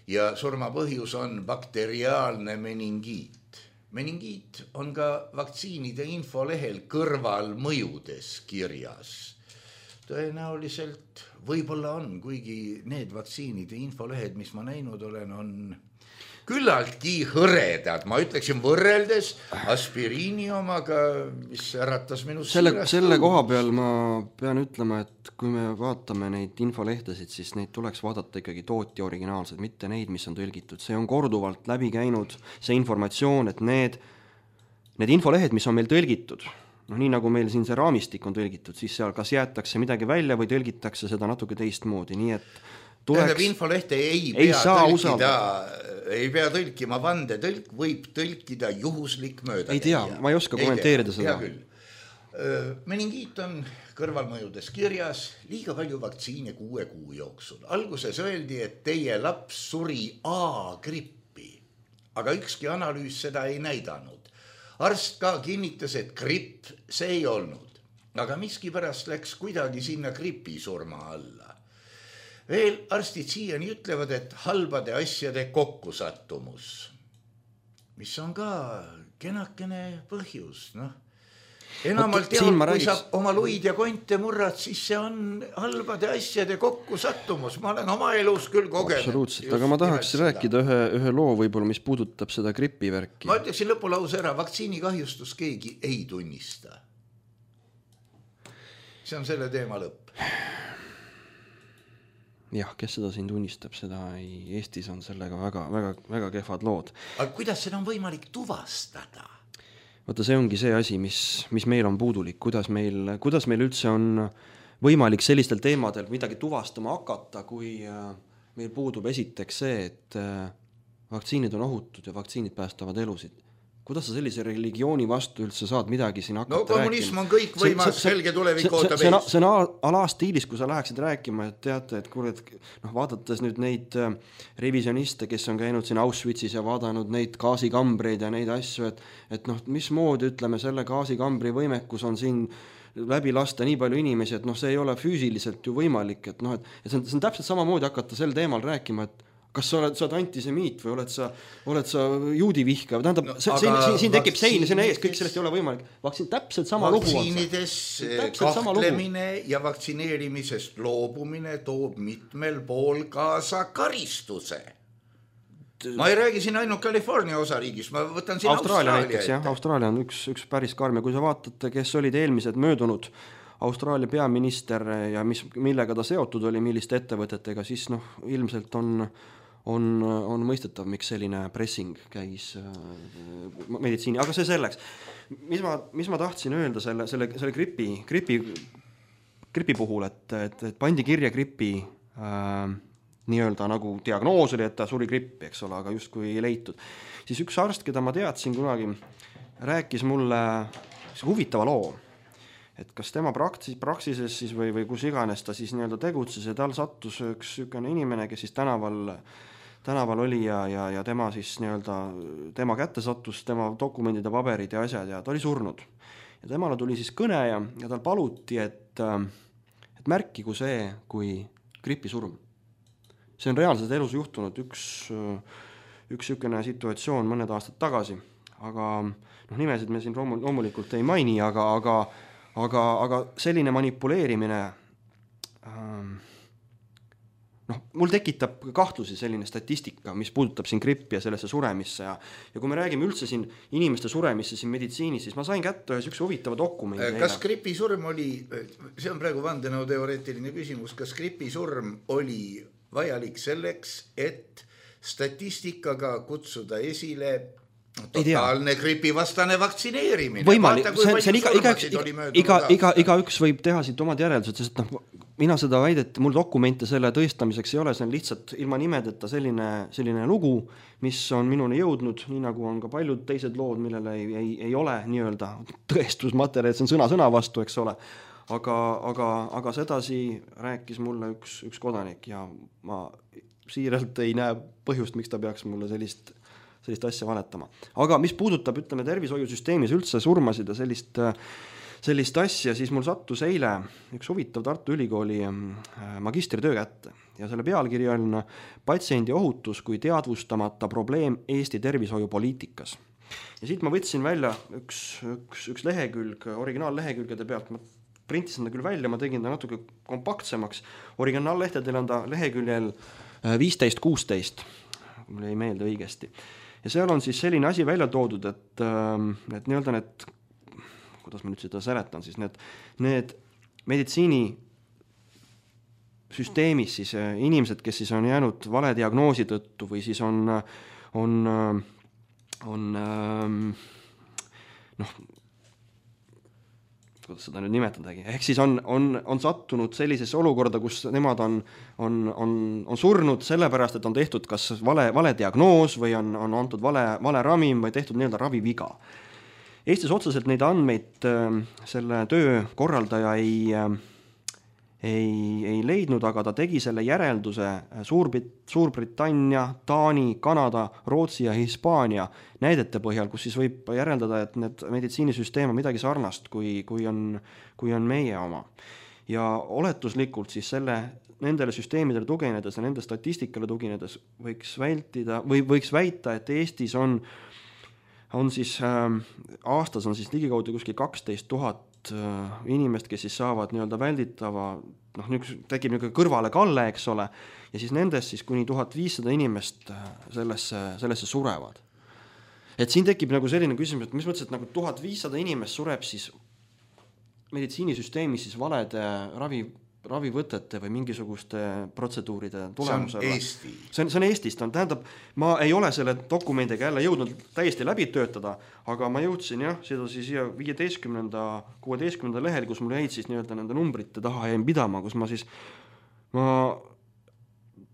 ja surma põhjus on bakteriaalne meningiit. Meningiit on ka vaktsiinide infolehel kõrvalmõjudes kirjas. Tõenäoliselt võib-olla on, kuigi need vaktsiinide infolehed, mis ma näinud olen, on küllaltki hõredad, ma ütleksin võrreldes aspiriini omaga, mis äratas minu selle, selle koha peal ma pean ütlema, et kui me vaatame neid infolehtesid, siis neid tuleks vaadata ikkagi tootja originaalsed, mitte neid, mis on tõlgitud. See on korduvalt läbi käinud see informatsioon, et need, need infolehed, mis on meil tõlgitud, no nii nagu meil siin see raamistik on tõlgitud, siis seal kas jäetakse midagi välja või tõlgitakse seda natuke teistmoodi, nii et tuleks... Tähendab, infolehte ei, ei pea tõlkida, ei pea tõlkima vande, tõlk võib tõlkida juhuslik mööda. Ei tea, ma ei oska ei kommenteerida tea, seda. Meningiit on kõrvalmõjudes kirjas, liiga palju vaktsiine kuue kuu jooksul. Alguses öeldi, et teie laps suri A-grippi, aga ükski analüüs seda ei näidanud. Arst ka kinnitas, et gripp see ei olnud, aga miski pärast läks kuidagi sinna gripi surma alla. Veel arstid siiani ütlevad, et halbade asjade kokkusattumus, mis on ka kenakene põhjus, noh. Enamalt jah, kui sa oma luid ja konte murrad, siis see on halbade asjade kokkusattumus. Ma olen oma elus küll kogenud. Absoluutselt, aga ma tahaks rääkida ühe, ühe loo võib-olla, mis puudutab seda gripivärki. Ma ütleksin lõpulause ära, vaktsiinikahjustus keegi ei tunnista. See on selle teema lõpp. Jah, kes seda siin tunnistab, seda ei, Eestis on sellega väga, väga, väga kehvad lood. Aga kuidas seda on võimalik tuvastada? Vaata, see ongi see asi, mis, mis meil on puudulik, kuidas meil, kuidas meil üldse on võimalik sellistel teemadel midagi tuvastama hakata, kui meil puudub esiteks see, et vaktsiinid on ohutud ja vaktsiinid päästavad elusid. Kuidas sa sellise religiooni vastu üldse saad midagi siin hakata rääkima? No kommunism rääkima? On kõik võimas, selge tulevik ootab ees. See on alastiilis, kui sa läheksid rääkima, et teate, et kuule, noh, vaadates nüüd neid revisioniste, kes on käinud siin Auschwitzis ja vaadanud neid gaasikambreid ja neid asju, et, et noh, mismoodi ütleme, selle gaasikambri võimekus on siin läbi lasta nii palju inimesi, et noh, see ei ole füüsiliselt ju võimalik, et noh, et, et see, on, see on täpselt samamoodi hakata sel teemal rääkima, et kas sa oled, sa oled antisemiit või oled sa, oled sa juudi vihka, tähendab, no, siin, siin, siin tekib sein, siin ees, kõik sellest ei ole võimalik. Vaktsiin, täpselt sama lugu on. Vaktsiinides kahtlemine ja vaktsineerimisest loobumine toob mitmel pool kaasa karistuse. Ma ei räägi siin ainult California osariigis, ma võtan siin Austraalia Austraalia näiteks, jah, Austraalia on üks, üks päris karm ja kui sa vaatate, kes olid eelmised möödunud Austraalia peaminister ja mis, millega ta seotud oli, milliste ettevõtetega, siis noh, ilmselt on On, on mõistetav, miks selline pressing käis meditsiini, aga see selleks. Mis ma, mis ma tahtsin öelda selle, selle, selle gripi, gripi, gripi puhul, et, et, et pandi kirja gripi äh, nii-öelda nagu diagnoos oli, et ta suri grippi, eks ole, aga justkui ei leitud. Siis üks arst, keda ma teadsin kunagi, rääkis mulle huvitava loo, et kas tema praksis, praksises siis või, või kus iganes ta siis nii-öelda tegutses ja tal sattus üks sükene inimene, kes siis tänaval tänaval oli ja, ja, ja tema siis nii-öelda, tema kätte sattus tema dokumendid ja paberid ja asjad ja ta oli surnud. Ja temale tuli siis kõne ja, ja tal paluti, et, et märkigu see kui gripisurm. See on reaalselt elus juhtunud üks, üks sükene situatsioon mõned aastad tagasi, aga noh, nimesid me siin loomulikult ei maini, aga, aga, aga, aga selline manipuleerimine ähm, noh, mul tekitab kahtlusi selline statistika, mis puudutab siin grippi ja sellesse suremisse ja, ja kui me räägime üldse siin inimeste suremisse siin meditsiinis, siis ma sain kätte ühes üks huvitava dokumendi. Kas gripisurm oli, see on praegu vandenõu teoreetiline küsimus, kas gripisurm oli vajalik selleks, et statistikaga kutsuda esile totaalne gripivastane vaktsineerimine? Võimalik, Vaata, see, see on iga, iga, iga, iga, iga, iga üks võib teha siit omad järeldused, sest noh, mina seda väidet, mul dokumente selle tõestamiseks ei ole, see on lihtsalt ilma nimedeta selline, selline lugu, mis on minuni jõudnud, nii nagu on ka paljud teised lood, millele ei, ei, ei ole nii-öelda tõestusmaterjal, see on sõna sõna vastu, eks ole. Aga, aga, aga sedasi rääkis mulle üks, üks kodanik ja ma siiralt ei näe põhjust, miks ta peaks mulle sellist sellist asja valetama. Aga mis puudutab, ütleme, tervishoiusüsteemis üldse surmasid ja sellist, sellist asja, siis mul sattus eile üks huvitav Tartu Ülikooli magistritöö kätte ja selle pealkiri on patsiendi ohutus kui teadvustamata probleem Eesti tervishoiupoliitikas. Ja siit ma võtsin välja üks, üks, üks lehekülg, originaallehekülgede pealt, ma printisin ta küll välja, ma tegin ta natuke kompaktsemaks, originaallehtedel on ta leheküljel viisteist kuusteist, mul ei meelde õigesti. Ja seal on siis selline asi välja toodud, et, et nii-öelda need, kuidas ma nüüd seda seletan, siis need, need meditsiini süsteemis siis inimesed, kes siis on jäänud vale diagnoosi tõttu või siis on, on, on noh, kuidas seda nüüd nimetadagi, ehk siis on, on, on sattunud sellisesse olukorda, kus nemad on, on, on, on surnud sellepärast, et on tehtud kas vale, vale diagnoos või on, on antud vale, vale ravim või tehtud nii-öelda raviviga. Eestis otseselt neid andmeid selle töö korraldaja ei, ei, ei leidnud, aga ta tegi selle järelduse Suurbrit, Suurbritannia, Taani, Kanada, Rootsi ja Hispaania näidete põhjal, kus siis võib järeldada, et need meditsiinisüsteem on midagi sarnast, kui, kui, on, kui on meie oma. Ja oletuslikult siis selle, nendele süsteemidele tuginedes ja nende statistikale tuginedes võiks vältida või võiks väita, et Eestis on, on siis äh, aastas on siis ligikaudu kuskil kaksteist tuhat inimest, kes siis saavad nii-öelda välditava, noh, tekib niisugune kõrvale kalle, eks ole, ja siis nendest siis kuni tuhat viissada inimest sellesse, sellesse surevad. Et siin tekib nagu selline küsimus, et mis mõttes, et nagu tuhat viissada inimest sureb siis meditsiinisüsteemis siis valede ravi, ravivõtete või mingisuguste protseduuride tulemusel. See on Eesti. See on, see on Eestist. Tähendab, ma ei ole selle dokumendiga jälle jõudnud täiesti läbi töötada, aga ma jõudsin jah, seda siis siia viieteistkümnenda, kuueteistkümnenda lehel, kus mul jäid siis nii-öelda nende numbrite taha jäin pidama, kus ma siis, ma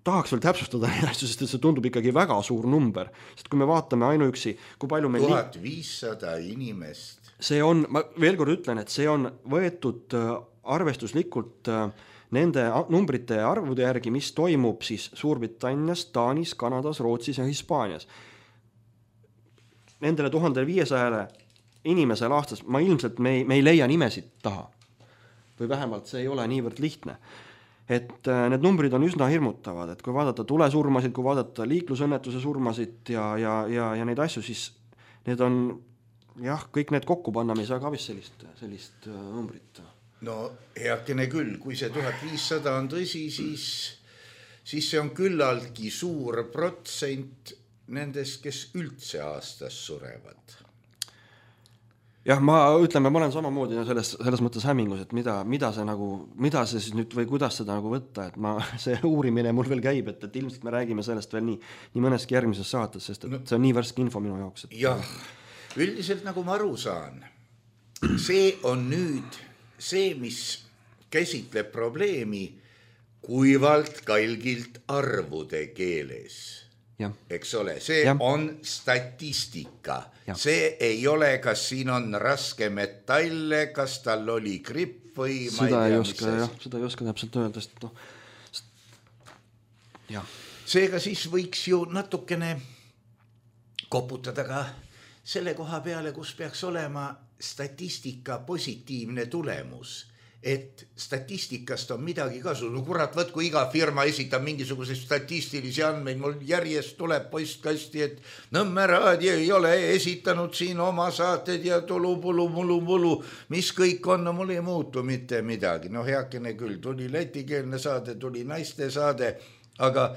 tahaks veel täpsustada neid asju, sest see tundub ikkagi väga suur number, sest kui me vaatame ainuüksi, kui palju meil tuhat viissada inimest. See on, ma veel kord ütlen, et see on võetud arvestuslikult nende numbrite arvude järgi, mis toimub siis Suurbritannias, Taanis, Kanadas, Rootsis ja Hispaanias. Nendele tuhande viiesajale inimesel aastas ma ilmselt me ei, me ei leia nimesid taha. Või vähemalt see ei ole niivõrd lihtne. Et need numbrid on üsna hirmutavad, et kui vaadata tulesurmasid, kui vaadata liiklusõnnetuse surmasid ja, ja, ja, ja neid asju, siis need on jah, kõik need kokku panna, me ei saa ka vist sellist, sellist numbrit. No heakene küll, kui see tuhat viissada on tõsi, siis, siis see on küllaltki suur protsent nendest, kes üldse aastas surevad. Jah, ma ütleme, ma olen samamoodi selles, selles mõttes hämmingus, et mida, mida see nagu, mida see siis nüüd või kuidas seda nagu võtta, et ma, see uurimine mul veel käib, et, et ilmselt me räägime sellest veel nii, nii mõneski järgmises saates, sest et no, see on nii värske info minu jaoks. Et... jah, üldiselt nagu ma aru saan, see on nüüd see, mis käsitleb probleemi kuivalt kalgilt arvude keeles. Ja. Eks ole, see ja. on statistika. Ja. See ei ole, kas siin on raske metalle, kas tal oli gripp või ma seda ei tea, ei oska, jah, seda ei oska täpselt öelda, sest no, ja. Seega siis võiks ju natukene koputada ka selle koha peale, kus peaks olema statistika positiivne tulemus, et statistikast on midagi kasu. No kurat, võt, kui iga firma esitab mingisuguseid statistilisi andmeid, mul järjest tuleb postkasti, et Nõmme raadio ei ole esitanud siin oma saated ja tulu, pulu, mulu, mulu, mis kõik on, no mul ei muutu mitte midagi. No heakene küll, tuli lätikeelne saade, tuli naiste saade, aga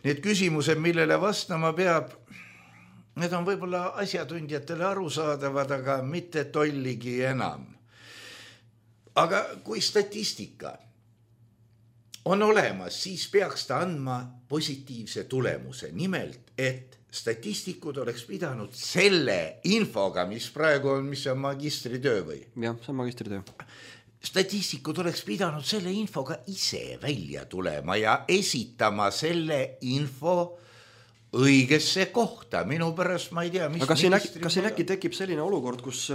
need küsimused, millele vastama peab, need on võib-olla asjatundjatele arusaadavad, aga mitte tolligi enam. Aga kui statistika on olemas, siis peaks ta andma positiivse tulemuse. Nimelt, et statistikud oleks pidanud selle infoga, mis praegu on, mis on magistritöö või? Jah, see on magistritöö. Statistikud oleks pidanud selle infoga ise välja tulema ja esitama selle info õigesse kohta. Minu pärast ma ei tea, mis... Aga kas siin äkki, kas siin äkki tekib selline olukord, kus...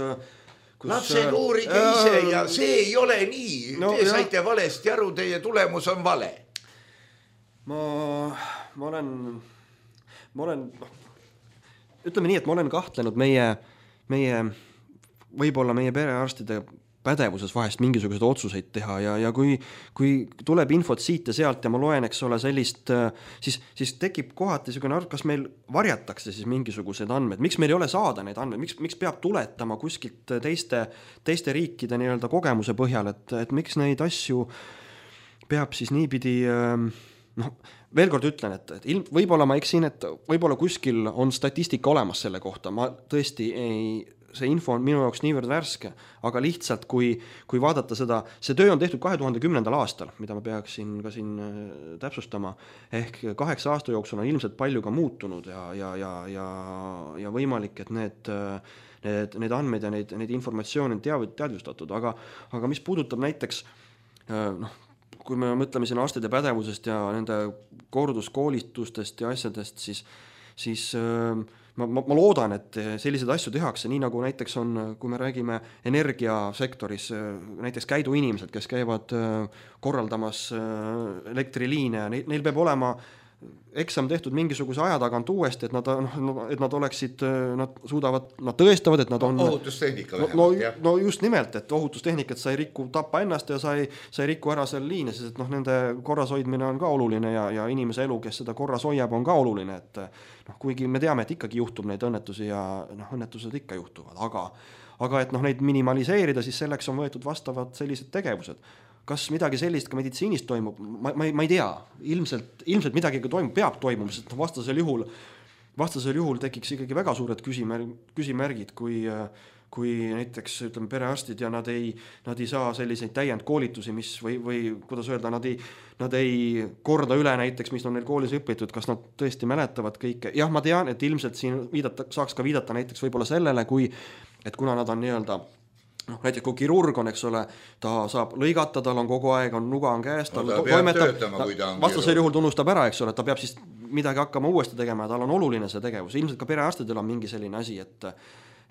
kus lapsed uurige äh, ise ja see ei ole nii. No, te saite jah. Valesti aru, teie tulemus on vale. Ma, ma olen... Ma olen... Ütleme nii, et ma olen kahtlenud meie, meie võib-olla meie perearstide pädevuses vahest mingisuguseid otsuseid teha ja, ja kui, kui tuleb infot siit ja sealt ja ma loen, eks ole, sellist, siis, siis tekib kohati selline arv, kas meil varjatakse siis mingisugused andmed, miks meil ei ole saada neid andmeid, miks, miks peab tuletama kuskilt teiste, teiste riikide nii-öelda kogemuse põhjal, et, et miks neid asju peab siis niipidi, noh, veel kord ütlen, et, et ilm, võib-olla ma eksin, et võib-olla kuskil on statistika olemas selle kohta, ma tõesti ei... see info on minu jaoks niivõrd värske, aga lihtsalt kui, kui vaadata seda, see töö on tehtud kahe tuhande kümnendal aastal, mida ma peaksin ka siin täpsustama, ehk kaheksa aasta jooksul on ilmselt palju ka muutunud ja, ja, ja, ja, ja võimalik, et need, need, need andmed ja neid, neid informatsioone on teav, teadvustatud, aga, aga mis puudutab näiteks, noh, kui me mõtleme siin arstide pädevusest ja nende korduskoolitustest ja asjadest, siis, siis Ma, ma, ma loodan, et sellised asju tehakse, nii nagu näiteks on, kui me räägime energiasektoris, näiteks käiduinimesed, kes käivad korraldamas elektriliine, neil peab olema eksam tehtud mingisuguse aja tagant uuesti, et nad, et nad oleksid, nad suudavad, nad tõestavad, et nad on... Ohutustehnika vähemalt, no, jah. No just nimelt, et ohutustehnikat sa ei rikku tappa ennast ja sa ei, sa ei rikku ära seal liine, sest et noh, nende korras hoidmine on ka oluline ja, ja inimese elu, kes seda korras hoiab, on ka oluline, et noh, kuigi me teame, et ikkagi juhtub neid õnnetusi ja noh, õnnetused ikka juhtuvad, aga, aga et noh, neid minimaliseerida, siis selleks on võetud vastavad sellised tegevused. Kas midagi sellist ka meditsiinis toimub? Ma, ma, ma ei tea. Ilmselt, ilmselt midagi toimub, peab toimuma, sest vastasel juhul, vastasel juhul tekiks ikkagi väga suured küsimärgid, küsimärgid kui, kui näiteks ütleme perearstid ja nad ei, nad ei saa selliseid täiendkoolitusi, mis või, või kuidas öelda, nad ei, nad ei korda üle näiteks, mis on neil koolis õpitud, kas nad tõesti mäletavad kõike. Jah, ma tean, et ilmselt siin viidata, saaks ka viidata näiteks võib-olla sellele, kui, et kuna nad on nii-öelda noh, näiteks kui kirurg on, eks ole, ta saab lõigata, tal on kogu aeg, on nuga on käes, tal no, ta toimetab, töötama, ta vastasel juhul tunnustab ära, eks ole, ta peab siis midagi hakkama uuesti tegema ja tal on oluline see tegevus. Ilmselt ka perearstidel on mingi selline asi, et,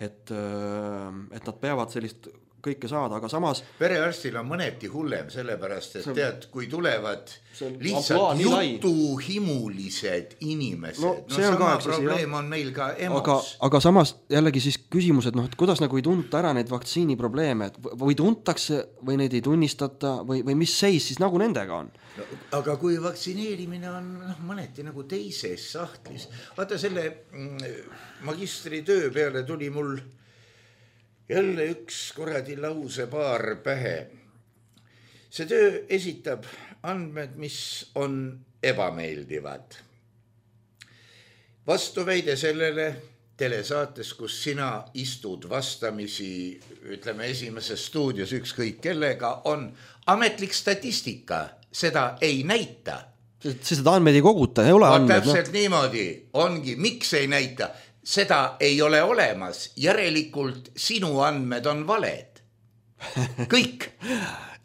et, et nad peavad sellist kõike saada, aga samas perearstil on mõneti hullem, sellepärast, et tead, kui tulevad lihtsalt ampluaa, jutuhimulised inimesed, no, no sama on probleem on meil ka emos. Aga, aga samas jällegi siis küsimus, et noh, et kuidas nagu ei tunta ära neid vaktsiini probleeme, et või tuntakse või neid ei tunnistata või, või mis seis siis nagu nendega on? No, aga kui vaktsineerimine on no, mõneti nagu teises sahtlis, vaata selle magistritöö peale tuli mul jälle üks kuradi lause paar pähe. See töö esitab andmed, mis on ebameeldivad. Vastuväide sellele telesaates, kus sina istud vastamisi, ütleme esimeses stuudios ükskõik kellega, on ametlik statistika. Seda ei näita. See seda andmeid ei koguta, ei ole no, andmed. Täpselt no. Niimoodi ongi, miks ei näita? Seda ei ole olemas, järelikult sinu andmed on valed. Kõik.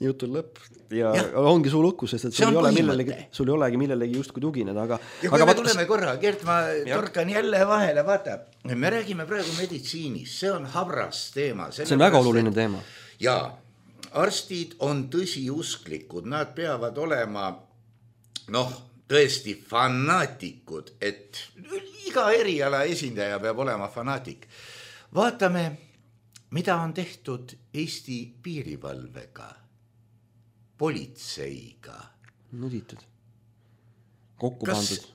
Jutul lõpp ja, ja ongi sul lukkus, sest et sul ei, ole millelegi, sul ei olegi millelegi justkui tugineda. Aga, ja kui aga me vaata... tuleme korra, Gert, ma ja. torkan jälle vahele, vaata, me räägime praegu meditsiinis, see on habras teema. See on väga oluline teema. Ja arstid on tõsiusklikud, nad peavad olema, noh, tõesti fanaatikud, et iga eriala esindaja peab olema fanaatik. Vaatame, mida on tehtud Eesti piirivalvega, politseiga. Nuditud. Kokku Kas pandud.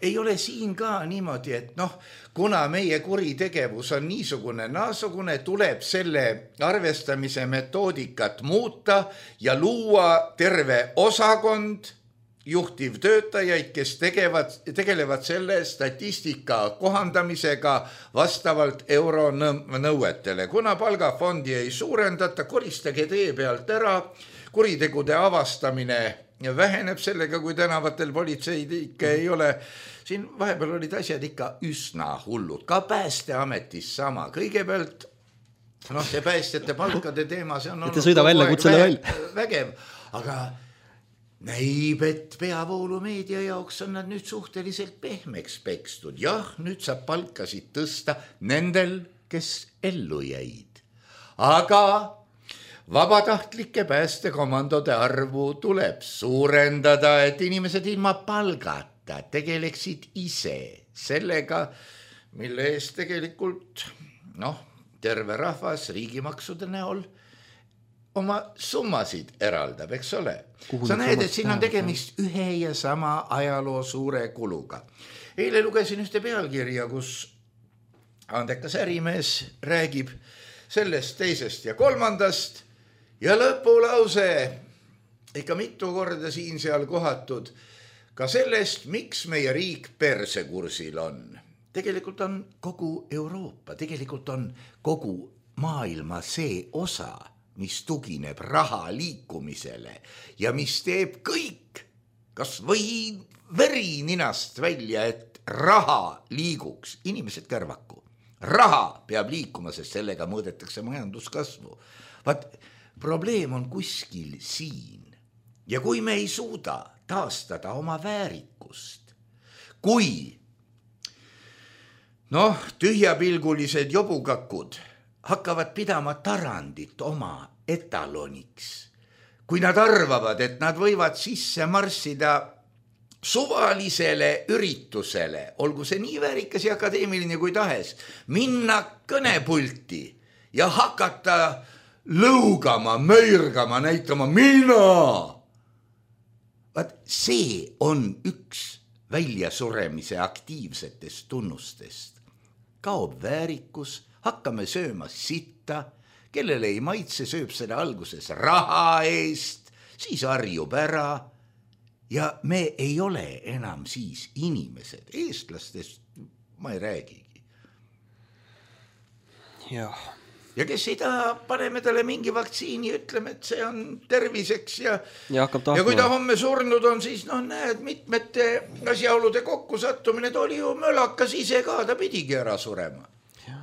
Ei ole siin ka niimoodi, et noh, kuna meie kuritegevus on niisugune naasugune, tuleb selle arvestamise metoodikat muuta ja luua terve osakond juhtivtöötajaid, kes tegevad, tegelevad selle statistika kohandamisega vastavalt euronõuetele. Kuna palgafondi ei suurendata, koristage tee pealt ära, kuritegude avastamine väheneb sellega, kui tänavatel politseid ikka ei ole. Siin vahepeal olid asjad ikka üsna hullud, ka päästeametis sama. Kõigepealt, noh, see päästjate palkade teema, see on olnud välja, vä- vägev, aga näib, et peavoolumeedia jaoks on nad nüüd suhteliselt pehmeks pekstud. Jah, nüüd saab palkasid tõsta nendel, kes ellu jäid. Aga vabatahtlike päästekomandode arvu tuleb suurendada, et inimesed ilma palgata tegeleksid ise sellega, mille eest tegelikult, noh, terve rahvas riigimaksude näol oma summasid eraldab, eks ole. Kuhu sa näed, et siin on tegemist ühe ja sama ajaloo suure kuluga. Eile lugesin ühte pealkirja, kus andekas ärimees räägib sellest, teisest ja kolmandast ja lõpulause ikka mitu korda siin seal kohatud ka sellest, miks meie riik persekursil on. Tegelikult on kogu Euroopa, tegelikult on kogu maailma see osa, mis tugineb raha liikumisele ja mis teeb kõik, kas või veri ninast välja, et raha liiguks, inimesed kärvaku. Raha peab liikuma, sest sellega mõõdetakse majanduskasvu. Vaat, probleem on kuskil siin. Ja kui me ei suuda taastada oma väärikust, kui noh, tühjapilgulised jobukakud hakkavad pidama tarandit oma etaloniks. Kui nad arvavad, et nad võivad sisse marssida suvalisele üritusele, olgu see nii väärikas ja akadeemiline kui tahes, minna kõnepulti ja hakata lõugama, möirgama, näitama mina. Vaat see on üks väljasuremise aktiivsetest tunnustest. Kaob väärikus, hakkame sööma sitta, kellele ei maitse, sööb seda alguses raha eest, siis harjub ära ja me ei ole enam siis inimesed, eestlastest ma ei räägigi. Jah, ja kes ei taha, paneme talle mingi vaktsiini, ütleme, et see on terviseks ja ja, ja kui ta homme surnud on, siis noh, näed, mitmete asjaolude kokku sattumine, ta oli ju mölakas ise ka, ta pidigi ära surema. Ja,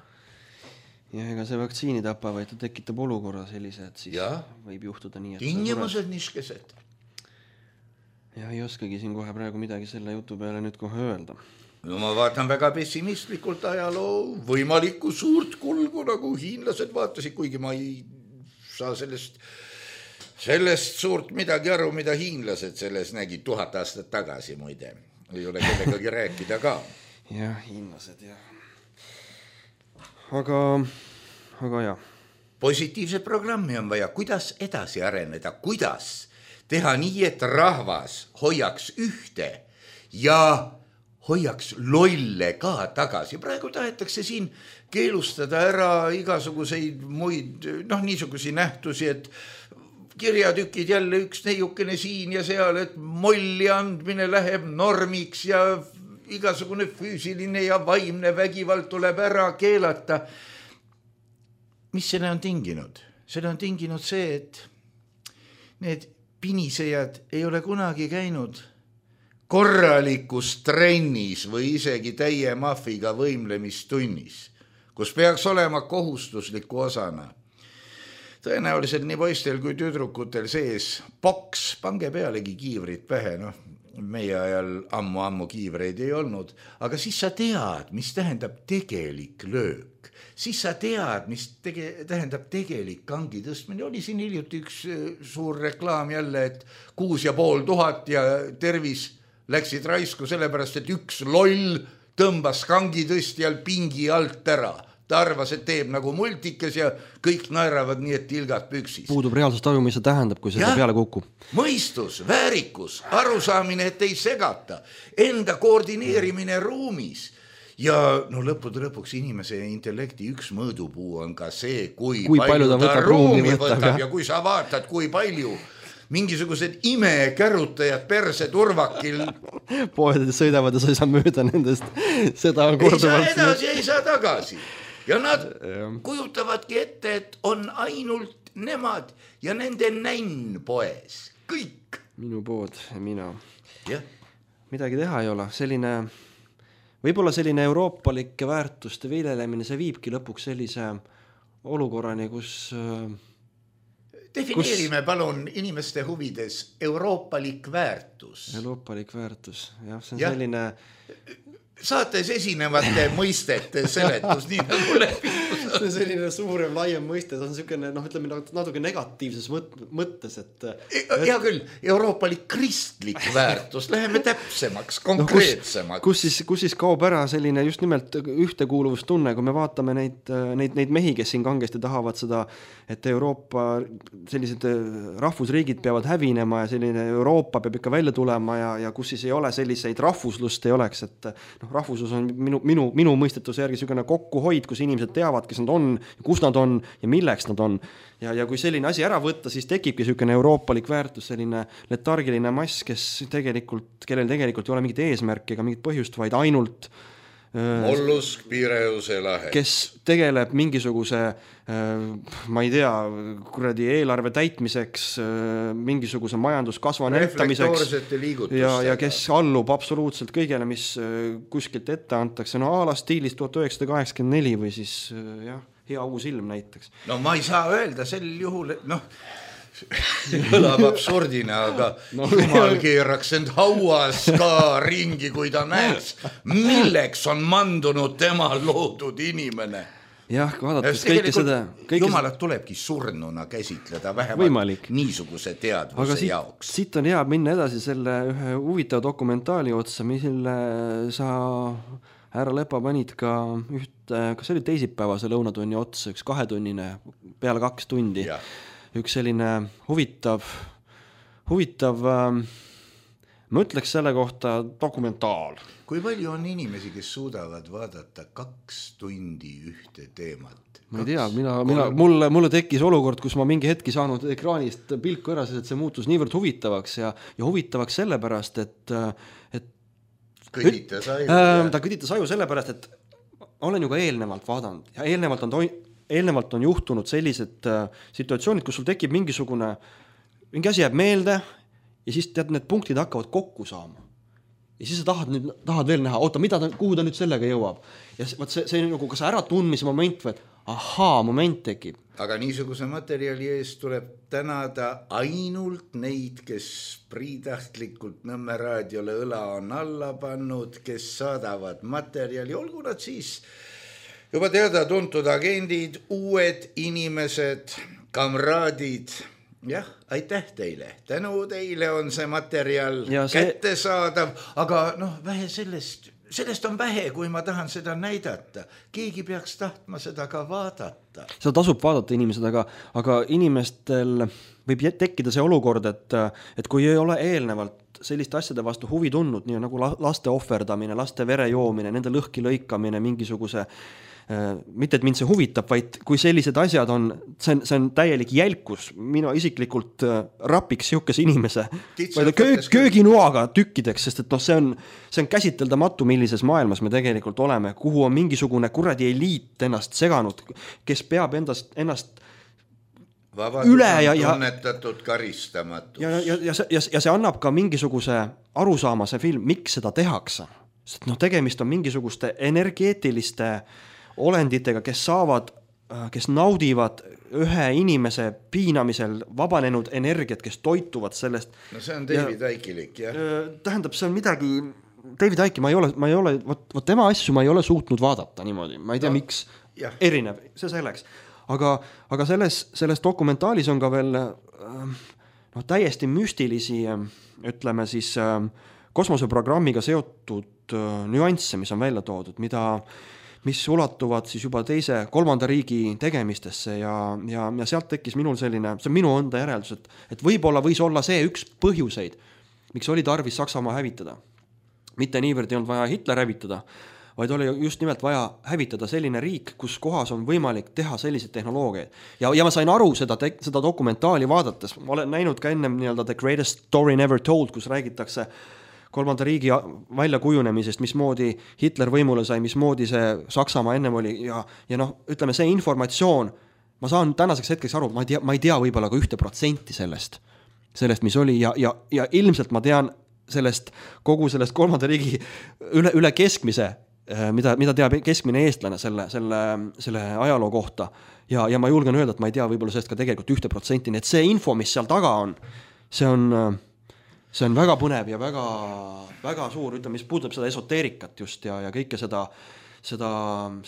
ja ega see vaktsiini tapa, vaid ta tekitab olukorra sellise, et siis ja. võib juhtuda nii, et tingimused niskesed. Ja ei oskagi siin kohe praegu midagi selle jutu peale nüüd kohe öelda. No ma vaatan väga pessimistlikult ajaloo võimalikku suurt kulgu, nagu hiinlased vaatasid, kuigi ma ei saa sellest, sellest suurt midagi aru, mida hiinlased selles nägid tuhat aastat tagasi, muide. Ei ole kellegagi rääkida ka. Jah, hiinlased, jah. Aga, aga jah. Positiivse programmi on vaja, kuidas edasi areneda, kuidas teha nii, et rahvas hoiaks ühte ja hoiaks lolle ka tagasi. Praegu tahetakse siin keelustada ära igasuguseid muid, noh, niisugusi nähtusi, et kirjatükid jälle üks neiukene siin ja seal, et molli andmine läheb normiks ja igasugune füüsiline ja vaimne vägivald tuleb ära keelata. Mis selle on tinginud? Selle on tinginud see, et need pinisejad ei ole kunagi käinud korralikus trennis või isegi täie mahviga võimlemistunnis, kus peaks olema kohustusliku osana. Tõenäoliselt nii poistel kui tüdrukutel sees boks, pange pealegi kiivrid pähe, noh, meie ajal ammu-ammu kiivreid ei olnud, aga siis sa tead, mis tähendab tegelik löök. Siis sa tead, mis tege, tähendab tegelik kangi tõstmine. Oli siin hiljuti üks suur reklaam jälle, et kuus ja pool tuhat ja tervis läksid raisku sellepärast, et üks loll tõmbas kangitõstjal pingi alt ära. Ta arvas, et teeb nagu multikes ja kõik naeravad nii, et tilgad püksis. Puudub reaalsust aju, mis see tähendab, kui see peale kukub. Mõistus, väärikus, arusaamine, et ei segata, enda koordineerimine ruumis. Ja no lõppude lõpuks inimese intellekti üks mõõdupuu on ka see, kui, kui palju, palju ta, ta ruumi võtab, võtab ja. ja kui sa vaatad, kui palju mingisugused imekärutajad perse turvakil poedes sõidavad ja sa ei saa mööda nendest. Seda on korduvalt. Ei saa edasi, ei saa tagasi. Ja nad ja. kujutavadki ette, et on ainult nemad ja nende nänn poes. Kõik. Minu pood ja mina. Ja. Midagi teha ei ole. Selline, võib-olla selline euroopalike väärtuste viilelemine, see viibki lõpuks sellise olukorrani, kus defineerime Kus... palun inimeste huvides euroopalik väärtus. Euroopalik väärtus, jah, see on ja. selline... Saates esinevate mõistete seletus, nii nagu lepingus. See on selline suurem, laiem mõiste, see on selline, noh, ütleme natuke negatiivses mõttes, et... Hea küll, euroopalik kristlik väärtus, läheme täpsemaks, konkreetsemaks. No, kus, kus, siis, kus siis kaob ära selline just nimelt ühtekuuluvustunne, kui me vaatame neid, neid, neid mehi, kes siin kangesti tahavad seda, et Euroopa sellised rahvusriigid peavad hävinema ja selline Euroopa peab ikka välja tulema ja, ja kus siis ei ole selliseid rahvuslust ei oleks, et noh, rahvuslus on minu, minu, minu mõistetuse järgi selline kokkuhoid, kus inimesed teavad, kes nad on, kus nad on ja milleks nad on. Ja, ja kui selline asi ära võtta, siis tekibki selline euroopalik väärtus, selline letargiline mass, kes tegelikult, kellel tegelikult ei ole mingit eesmärki ega mingit põhjust, vaid ainult Mollusk, Pireuse lahe. Kes tegeleb mingisuguse, ma ei tea, kuradi eelarve täitmiseks, mingisuguse majanduskasva näitamiseks ja, ja kes allub absoluutselt kõigele, mis kuskilt ette antakse. No aala stiilis tuhat üheksasada kaheksakümmend neli või siis jah, hea uus ilm näiteks. No ma ei saa öelda sel juhul, et noh, kõlab absurdina, aga no, jumal keeraks end hauas ka ringi, kui ta näeks, milleks on mandunud tema loodud inimene. Jah, vaadates kõike seda... Kõike... Jumalat tulebki surnuna käsitleda vähemalt võimalik. Niisuguse teadvuse siit, jaoks. Siit on hea minna edasi selle ühe huvitava dokumentaali otsa, mille sa härra Lepa panid ka ühte, kas oli teisipäevase lõunatunni otsa, üks kahetunnine, peale kaks tundi. Ja. Üks selline huvitav, huvitav, ma ütleks selle kohta dokumentaal. Kui palju on inimesi, kes suudavad vaadata kaks tundi ühte teemat? Ma ei tea, mina, mina, mulle, mulle tekkis olukord, kus ma mingi hetki saanud ekraanist pilku ära, sest see muutus niivõrd huvitavaks ja, ja huvitavaks sellepärast, et, et kõditas aju. Äh, ta kõditas aju sellepärast, et olen ju ka eelnevalt vaadanud ja eelnevalt on toi, eelnevalt on juhtunud sellised äh, situatsioonid, kus sul tekib mingisugune, mingi asi jääb meelde ja siis tead, need punktid hakkavad kokku saama. Ja siis sa tahad, nüüd, tahad veel näha, oota, mida ta, kuhu ta nüüd sellega jõuab. Ja see, see, see on nagu kas ära tundmise moment või, ahaa, moment tekib. Aga niisuguse materjali eest tuleb tänada ainult neid, kes priitahtlikult Nõmme raadiole õla on alla pannud, kes saadavad materjali, olgu nad siis juba teada tuntud agendid, uued inimesed, kamraadid. Jah, aitäh teile. Tänu teile on see materjal see... kättesaadav, aga noh, vähe sellest, sellest on vähe, kui ma tahan seda näidata. Keegi peaks tahtma seda ka vaadata. Seda tasub vaadata inimesed, aga, aga inimestel võib tekkida see olukord, et, et kui ei ole eelnevalt selliste asjade vastu huvi tundnud, nii nagu laste ohverdamine, laste vere joomine, nende lõhki lõikamine, mingisuguse mitte, et mind see huvitab, vaid kui sellised asjad on, see on, see on täielik jälkus, mina isiklikult rapiks siukese inimese köö, kööginuaga tükkideks, sest et noh, see on, see on käsiteldamatu, millises maailmas me tegelikult oleme, kuhu on mingisugune kuradi eliit ennast seganud, kes peab endast, ennast Vabadus üle ja, ja tunnetatud karistamatus. Ja, ja, ja, ja, ja see annab ka mingisuguse arusaama see film, miks seda tehakse. Sest noh, tegemist on mingisuguste energeetiliste olenditega, kes saavad, kes naudivad ühe inimese piinamisel vabanenud energiat, kes toituvad sellest. No see on David Aikilik, jah. Tähendab, see on midagi, David Aiki, ma ei ole, ma ei ole, võt, võt tema asju ma ei ole suutnud vaadata niimoodi, ma ei tea, no, miks jah. Erinev, see selleks. Aga, aga selles, selles dokumentaalis on ka veel no, täiesti müstilisi, ütleme siis, kosmoseprogrammiga seotud nüansse, mis on välja toodud, mida mis ulatuvad siis juba teise, kolmanda riigi tegemistesse ja, ja, ja sealt tekkis minul selline, see on minu enda järeldus, et, et võib-olla võis olla see üks põhjuseid, miks oli tarvis Saksamaa hävitada. Mitte niivõrd ei olnud vaja Hitler hävitada, vaid oli just nimelt vaja hävitada selline riik, kus kohas on võimalik teha selliseid tehnoloogiaid. Ja, ja ma sain aru seda, te, seda dokumentaali vaadates, ma olen näinud ka ennem nii-öelda The Greatest Story Never Told, kus räägitakse kolmanda riigi väljakujunemisest, mismoodi Hitler võimule sai, mismoodi see Saksamaa ennem oli ja, ja noh, ütleme see informatsioon, ma saan tänaseks hetkeks aru, ma ei tea, ma ei tea võib-olla ka ühte protsenti sellest, sellest, mis oli ja, ja, ja ilmselt ma tean sellest, kogu sellest kolmanda riigi üle, üle keskmise, mida, mida teab keskmine eestlane selle, selle, selle ajaloo kohta ja, ja ma julgen öelda, et ma ei tea võib-olla sellest ka tegelikult ühte protsenti, nii et see info, mis seal taga on, see on see on väga põnev ja väga, väga suur, ütleme, mis puudutab seda esoteerikat just ja, ja kõike seda, seda,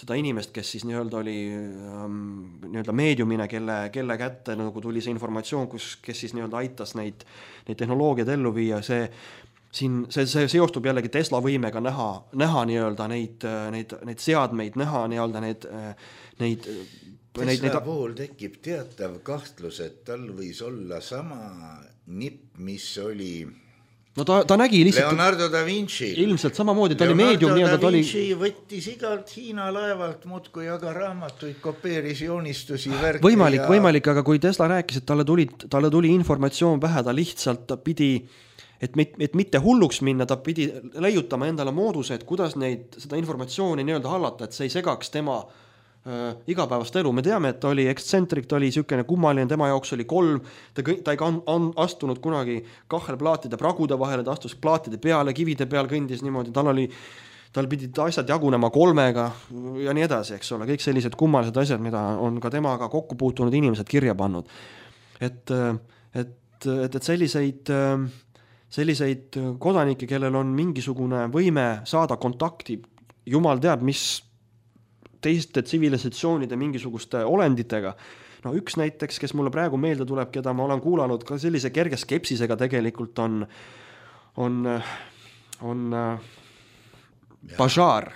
seda inimest, kes siis nii-öelda oli ähm, nii-öelda meediumine, kelle, kelle kätte nagu tuli see informatsioon, kus, kes siis nii-öelda aitas neid, neid tehnoloogiaid ellu viia, see, siin, see, see seostub jällegi Tesla võimega näha, näha nii-öelda neid, neid, neid seadmeid, näha nii-öelda neid, neid Tesla neid, neid... puhul tekib teatav kahtlus, et tal võis olla sama nipp, mis oli no ta, ta nägi lihtsalt Leonardo da Vinci. Ilmselt samamoodi, ta Leonardo oli meedium. Leonardo da Vinci oli... võttis igalt Hiina laevalt muudkui aga raamatuid, kopeeris joonistusi, värki. Võimalik, ja... võimalik, aga kui Tesla rääkis, et talle tuli, talle tuli informatsioon vähe, ta lihtsalt ta pidi, et, mit, et mitte hulluks minna, ta pidi leiutama endale mooduse, et kuidas neid, seda informatsiooni nii-öelda hallata, et see ei segaks tema äh, igapäevast elu. Me teame, et ta oli ekstsentric, ta oli siukene kummaline, tema jaoks oli kolm, ta, ta ei on, on astunud kunagi kahelplaatide pragude vahele, ta astus plaatide peale, kivide peal kõndis niimoodi, tal oli, tal pidid asjad jagunema kolmega ja nii edasi, eks ole, kõik sellised kummalised asjad, mida on ka temaga kokku puutunud inimesed kirja pannud. Et, et, et, et selliseid, selliseid kodanikke, kellel on mingisugune võime saada kontakti, jumal teab, mis teiste tsivilisatsioonide mingisuguste olenditega. No üks näiteks, kes mulle praegu meelde tuleb, keda ma olen kuulanud ka sellise kerge skepsisega tegelikult on, on, on Bajar,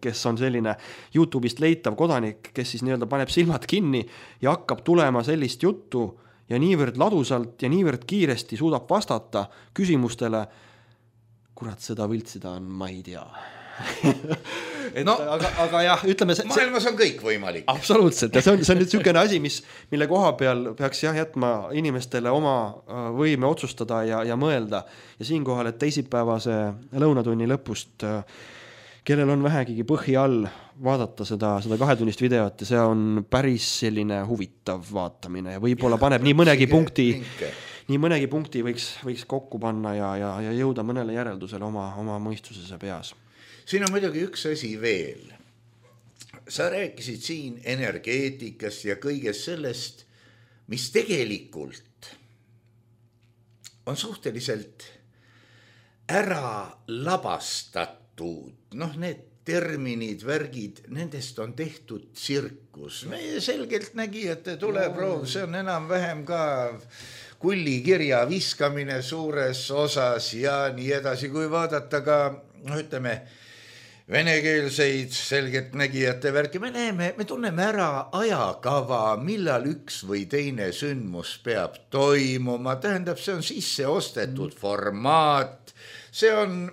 kes on selline YouTube'ist leitav kodanik, kes siis nii-öelda paneb silmad kinni ja hakkab tulema sellist juttu ja niivõrd ladusalt ja niivõrd kiiresti suudab vastata küsimustele, kurat, seda võltsida on, ma ei tea. et, no, aga, aga jah, ütleme see, maailmas on kõik võimalik. Absoluutselt, ja see on, see on nüüd niisugune asi, mis, mille koha peal peaks jah jätma inimestele oma võime otsustada ja, ja mõelda. Ja siinkohal, et teisipäevase lõunatunni lõpust kellel on vähegigi põhi all vaadata seda, seda kahetunnist videot ja see on päris selline huvitav vaatamine ja võib-olla paneb nii mõnegi punkti, nii mõnegi punkti võiks, võiks kokku panna ja, ja, ja jõuda mõnele järeldusele oma, oma mõistuses ja peas. Siin on muidugi üks asi veel. Sa rääkisid siin energeetikast ja kõigest sellest, mis tegelikult on suhteliselt ära labastatud. Noh, need terminid, värgid, nendest on tehtud tsirkus. Meie selgelt nägijate tuleproov, see on enam-vähem ka kullikirja viskamine suures osas ja nii edasi, kui vaadata ka, no ütleme, venekeelseid selgelt nägijate värki, me näeme, me tunneme ära ajakava, millal üks või teine sündmus peab toimuma, tähendab, see on sisse ostetud formaat, see on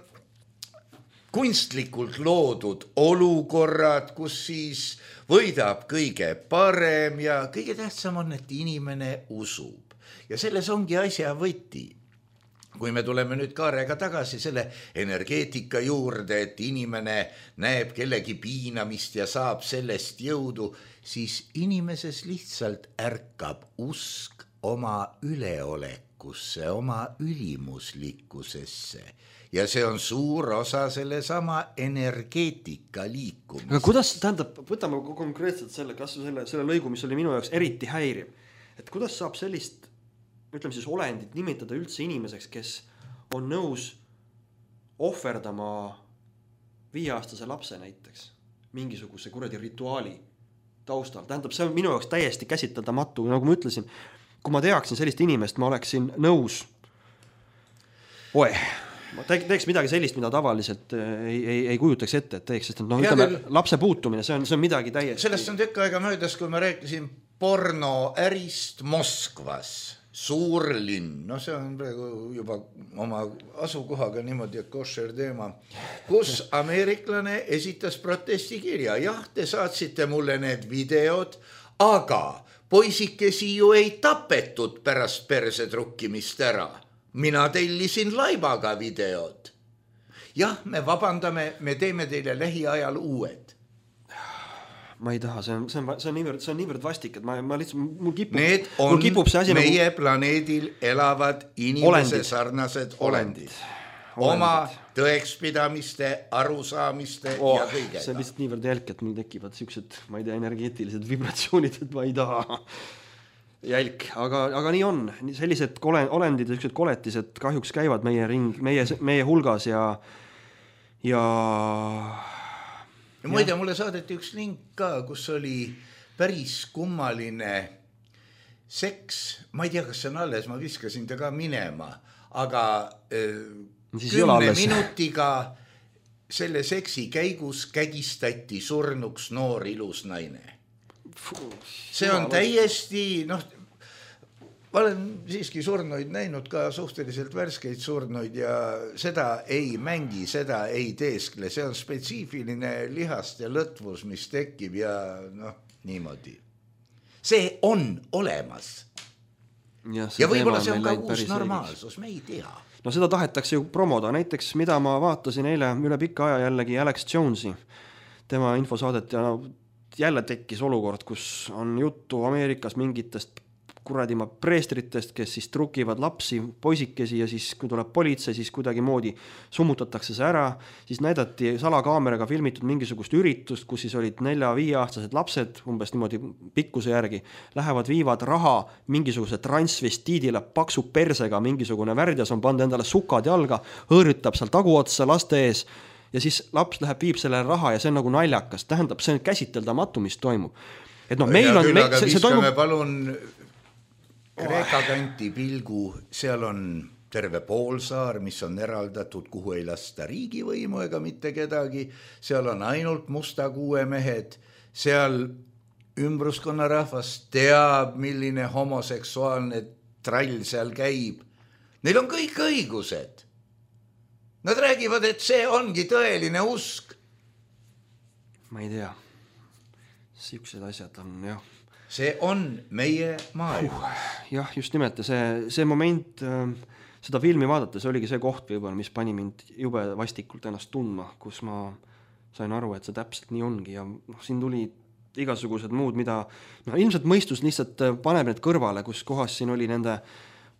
kunstlikult loodud olukorrad, kus siis võidab kõige parem ja kõige tähtsam on, et inimene usub. Ja selles ongi asja võti. Kui me tuleme nüüd Kaarega tagasi selle energeetika juurde, et inimene näeb kellegi piinamist ja saab sellest jõudu, siis inimeses lihtsalt ärkab usk oma üleolekusse, oma ülimuslikkusesse. Ja see on suur osa selle sama energeetika liikumisest. Aga kuidas, tähendab, võtame konkreetselt selle, kas selle, selle lõigu, mis oli minu jaoks eriti häiriv, et kuidas saab sellist ütleme siis olendit nimetada üldse inimeseks, kes on nõus ohverdama viieaastase lapse näiteks mingisuguse kuradi rituaali taustal. Tähendab, see on minu jaoks täiesti käsitledamatu. Nagu ma ütlesin, kui ma teaksin sellist inimest, ma oleksin nõus oe, ma teeks midagi sellist, mida tavaliselt ei, ei, ei kujutaks ette, et teeks, sest no, ütleme, lapse puutumine, see on, see on midagi täiesti. Sellest on tükk aega möödas, kui ma rääkisin pornoärist Moskvas. Suur linn, no see on praegu juba oma asukohaga niimoodi, et košer teema, kus ameeriklane esitas protestikirja. Jah, te saatsite mulle need videod, aga poisikesi ju ei tapetud pärast perse trukkimist ära. Mina tellisin laibaga videod. Jah, me vabandame, me teeme teile lähiajal uued. Ma ei taha, see on, see on, see on niivõrd, see on niivõrd vastik, et ma, ma lihtsalt, mul kipub, need on mul kipub see asi meie nagu... planeedil elavad inimese olendid. Sarnased olendid. olendid. Oma tõekspidamiste, arusaamiste oh, ja kõigega. See on lihtsalt niivõrd jälk, et mul tekivad siuksed, ma ei tea, energeetilised vibratsioonid, et ma ei taha jälk, aga, aga nii on. Sellised olendid ja siuksed koletised kahjuks käivad meie ring, meie, meie hulgas ja ja ja muide, mulle saadeti üks link ka, kus oli päris kummaline seks. Ma ei tea, kas see on alles, ma viskasin ta ka minema, aga kümne minutiga selle seksi käigus kägistati surnuks noor ilus naine. See on täiesti, noh, ma olen siiski surnuid näinud ka suhteliselt värskeid surnuid ja seda ei mängi, seda ei teeskle. See on spetsiifiline lihast ja lõtvus, mis tekib ja noh, niimoodi. See on olemas. Ja, ja võib-olla see on ka uus normaalsus, me ei tea. No seda tahetakse ju promoda. Näiteks, mida ma vaatasin eile üle pikka aja jällegi Alex Jonesi, tema infosaadet ja jälle tekkis olukord, kus on juttu Ameerikas mingitest kuradima preestritest, kes siis trukivad lapsi, poisikesi ja siis kui tuleb politsei, siis kuidagi moodi summutatakse see ära, siis näidati salakaameraga filmitud mingisugust üritust, kus siis olid nelja-viieaastased lapsed, umbes niimoodi pikkuse järgi, lähevad viivad raha mingisuguse transvestiidile paksu persega, mingisugune värdjas on pannud endale sukad jalga, hõõrütab seal taguotsa laste ees ja siis laps läheb, viib selle raha ja see on nagu naljakas, tähendab, see on käsiteldamatu, mis toimub. Et no meil on... Küll, aga see, see toimub... palun... Kreeka kanti pilgu, seal on terve poolsaar, mis on eraldatud, kuhu ei lasta riigivõimu ega mitte kedagi. Seal on ainult musta kuue mehed. Seal ümbruskonna rahvas teab, milline homoseksuaalne trall seal käib. Neil on kõik õigused. Nad räägivad, et see ongi tõeline usk. Ma ei tea. Siuksed asjad on, jah. See on meie maailm. Uh, jah, just nimelt. See, see moment, seda filmi vaadates oligi see koht, võib-olla, mis pani mind jube vastikult ennast tundma, kus ma sain aru, et see täpselt nii ongi ja noh, siin tuli igasugused muud, mida noh, ilmselt mõistus lihtsalt paneb need kõrvale, kus kohas siin oli nende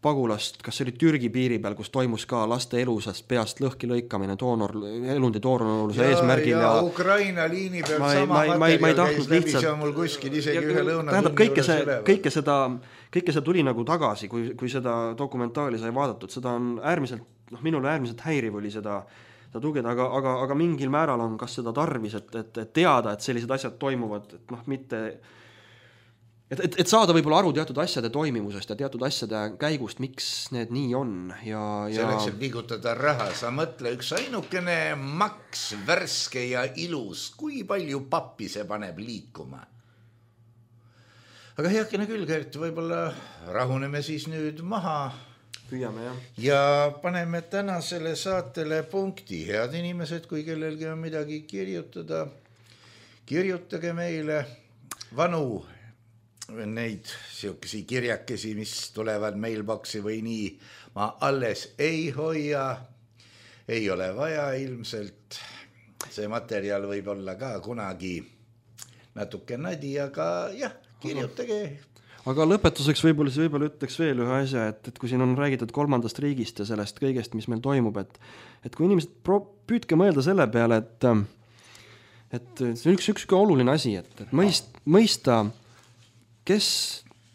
pagulast, kas see oli Türgi piiri peal, kus toimus ka laste elusast peast lõhki lõikamine doonor, elundi doonoroluse eesmärgil ja, ja Ukraina liini pealt ma, sama ma, materjal ma, käis läbi, see on mul kuskil isegi ja, ühe lõuna tähendab, kõike, see, kõike, seda, kõike see tuli nagu tagasi, kui, kui seda dokumentaali sai vaadatud, seda on äärmiselt, noh, minule äärmiselt häiriv oli seda, seda tugeda, aga, aga, aga mingil määral on kas seda tarvis, et, et, et teada, et sellised asjad toimuvad, et noh, mitte Et, et, et saada võib-olla aru teatud asjade toimimusest ja teatud asjade käigust, miks need nii on. Ja, ja... Selleks, et liigutada raha, sa mõtle üks ainukene maks, värske ja ilus, kui palju pappi see paneb liikuma. Aga heakene küll, Gert, võib-olla rahuneme siis nüüd maha. Püüame, jah. Ja paneme tänasele saatele punkti. Head inimesed, kui kellelgi on midagi kirjutada, kirjutage meile vanu neid siukesi kirjakesi, mis tulevad mailboxi või nii, ma alles ei hoia, ei ole vaja ilmselt. See materjal võib olla ka kunagi natuke nadi, aga jah, kirjutage. Aga lõpetuseks võib-olla, võib-olla ütleks veel ühe asja, et, et kui siin on räägitud kolmandast riigist ja sellest kõigest, mis meil toimub, et, et kui inimesed pro, püüdke mõelda selle peale, et, et see on üks, üks oluline asi, et, et mõist, mõista kes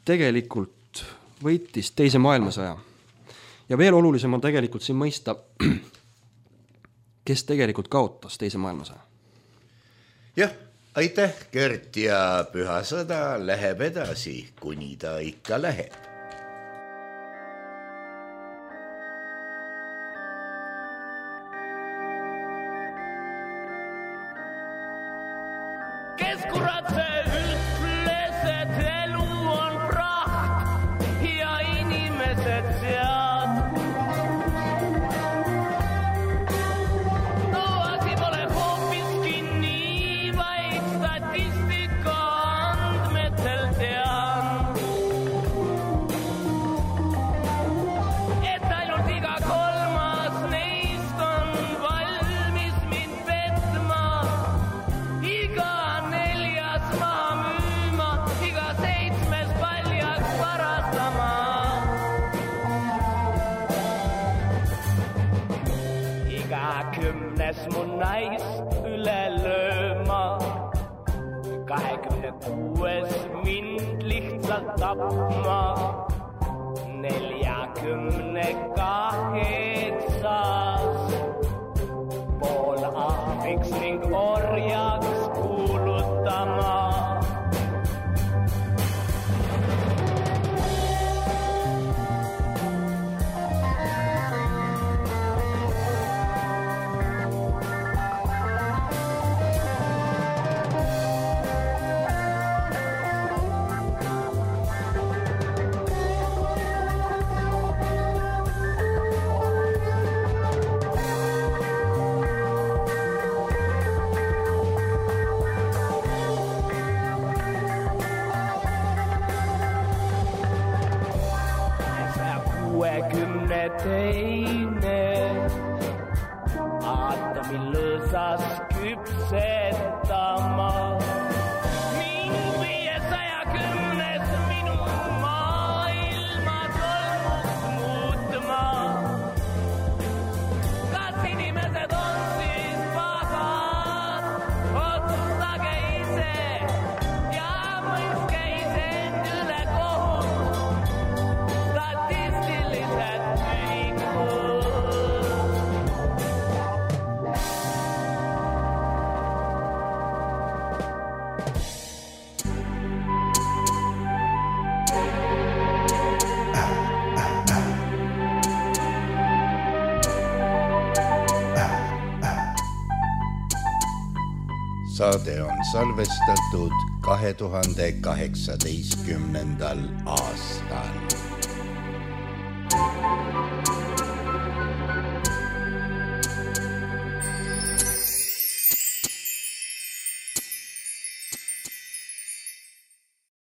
tegelikult võitis teise maailmasõja. Ja veel olulisem on tegelikult siin mõista, kes tegelikult kaotas teise maailmasõja. Jah, aitäh, Gert, ja püha sõda läheb edasi, kuni ta ikka läheb. Kes kurat see ütles, et elu on praht ja inimesed sead. No asi pole hoopiski nii, vaid statistika andmetel tean, et ainult iga kolmas neist on valmis mind petma. Iga neljas maha müüma, iga seitsmes paljaks varastama. Iga kümnes mu naist üle lööma, kahekümne kuues mind lihtsalt tapma, neljakümne kaheksas pool ahviks ning orjaks kuulutama. Kuuekümne teine aatomi lõõsas küpsetama. Mind viiesaja kümnes minu maailma tolmuks muutma. Kas inimesed on siis pahad? Otsustage ise ja mõistke iseend üle kohut. Statistilised ühikud. Saade on salvestatud kahe tuhande kaheksateistkümnendal aastal.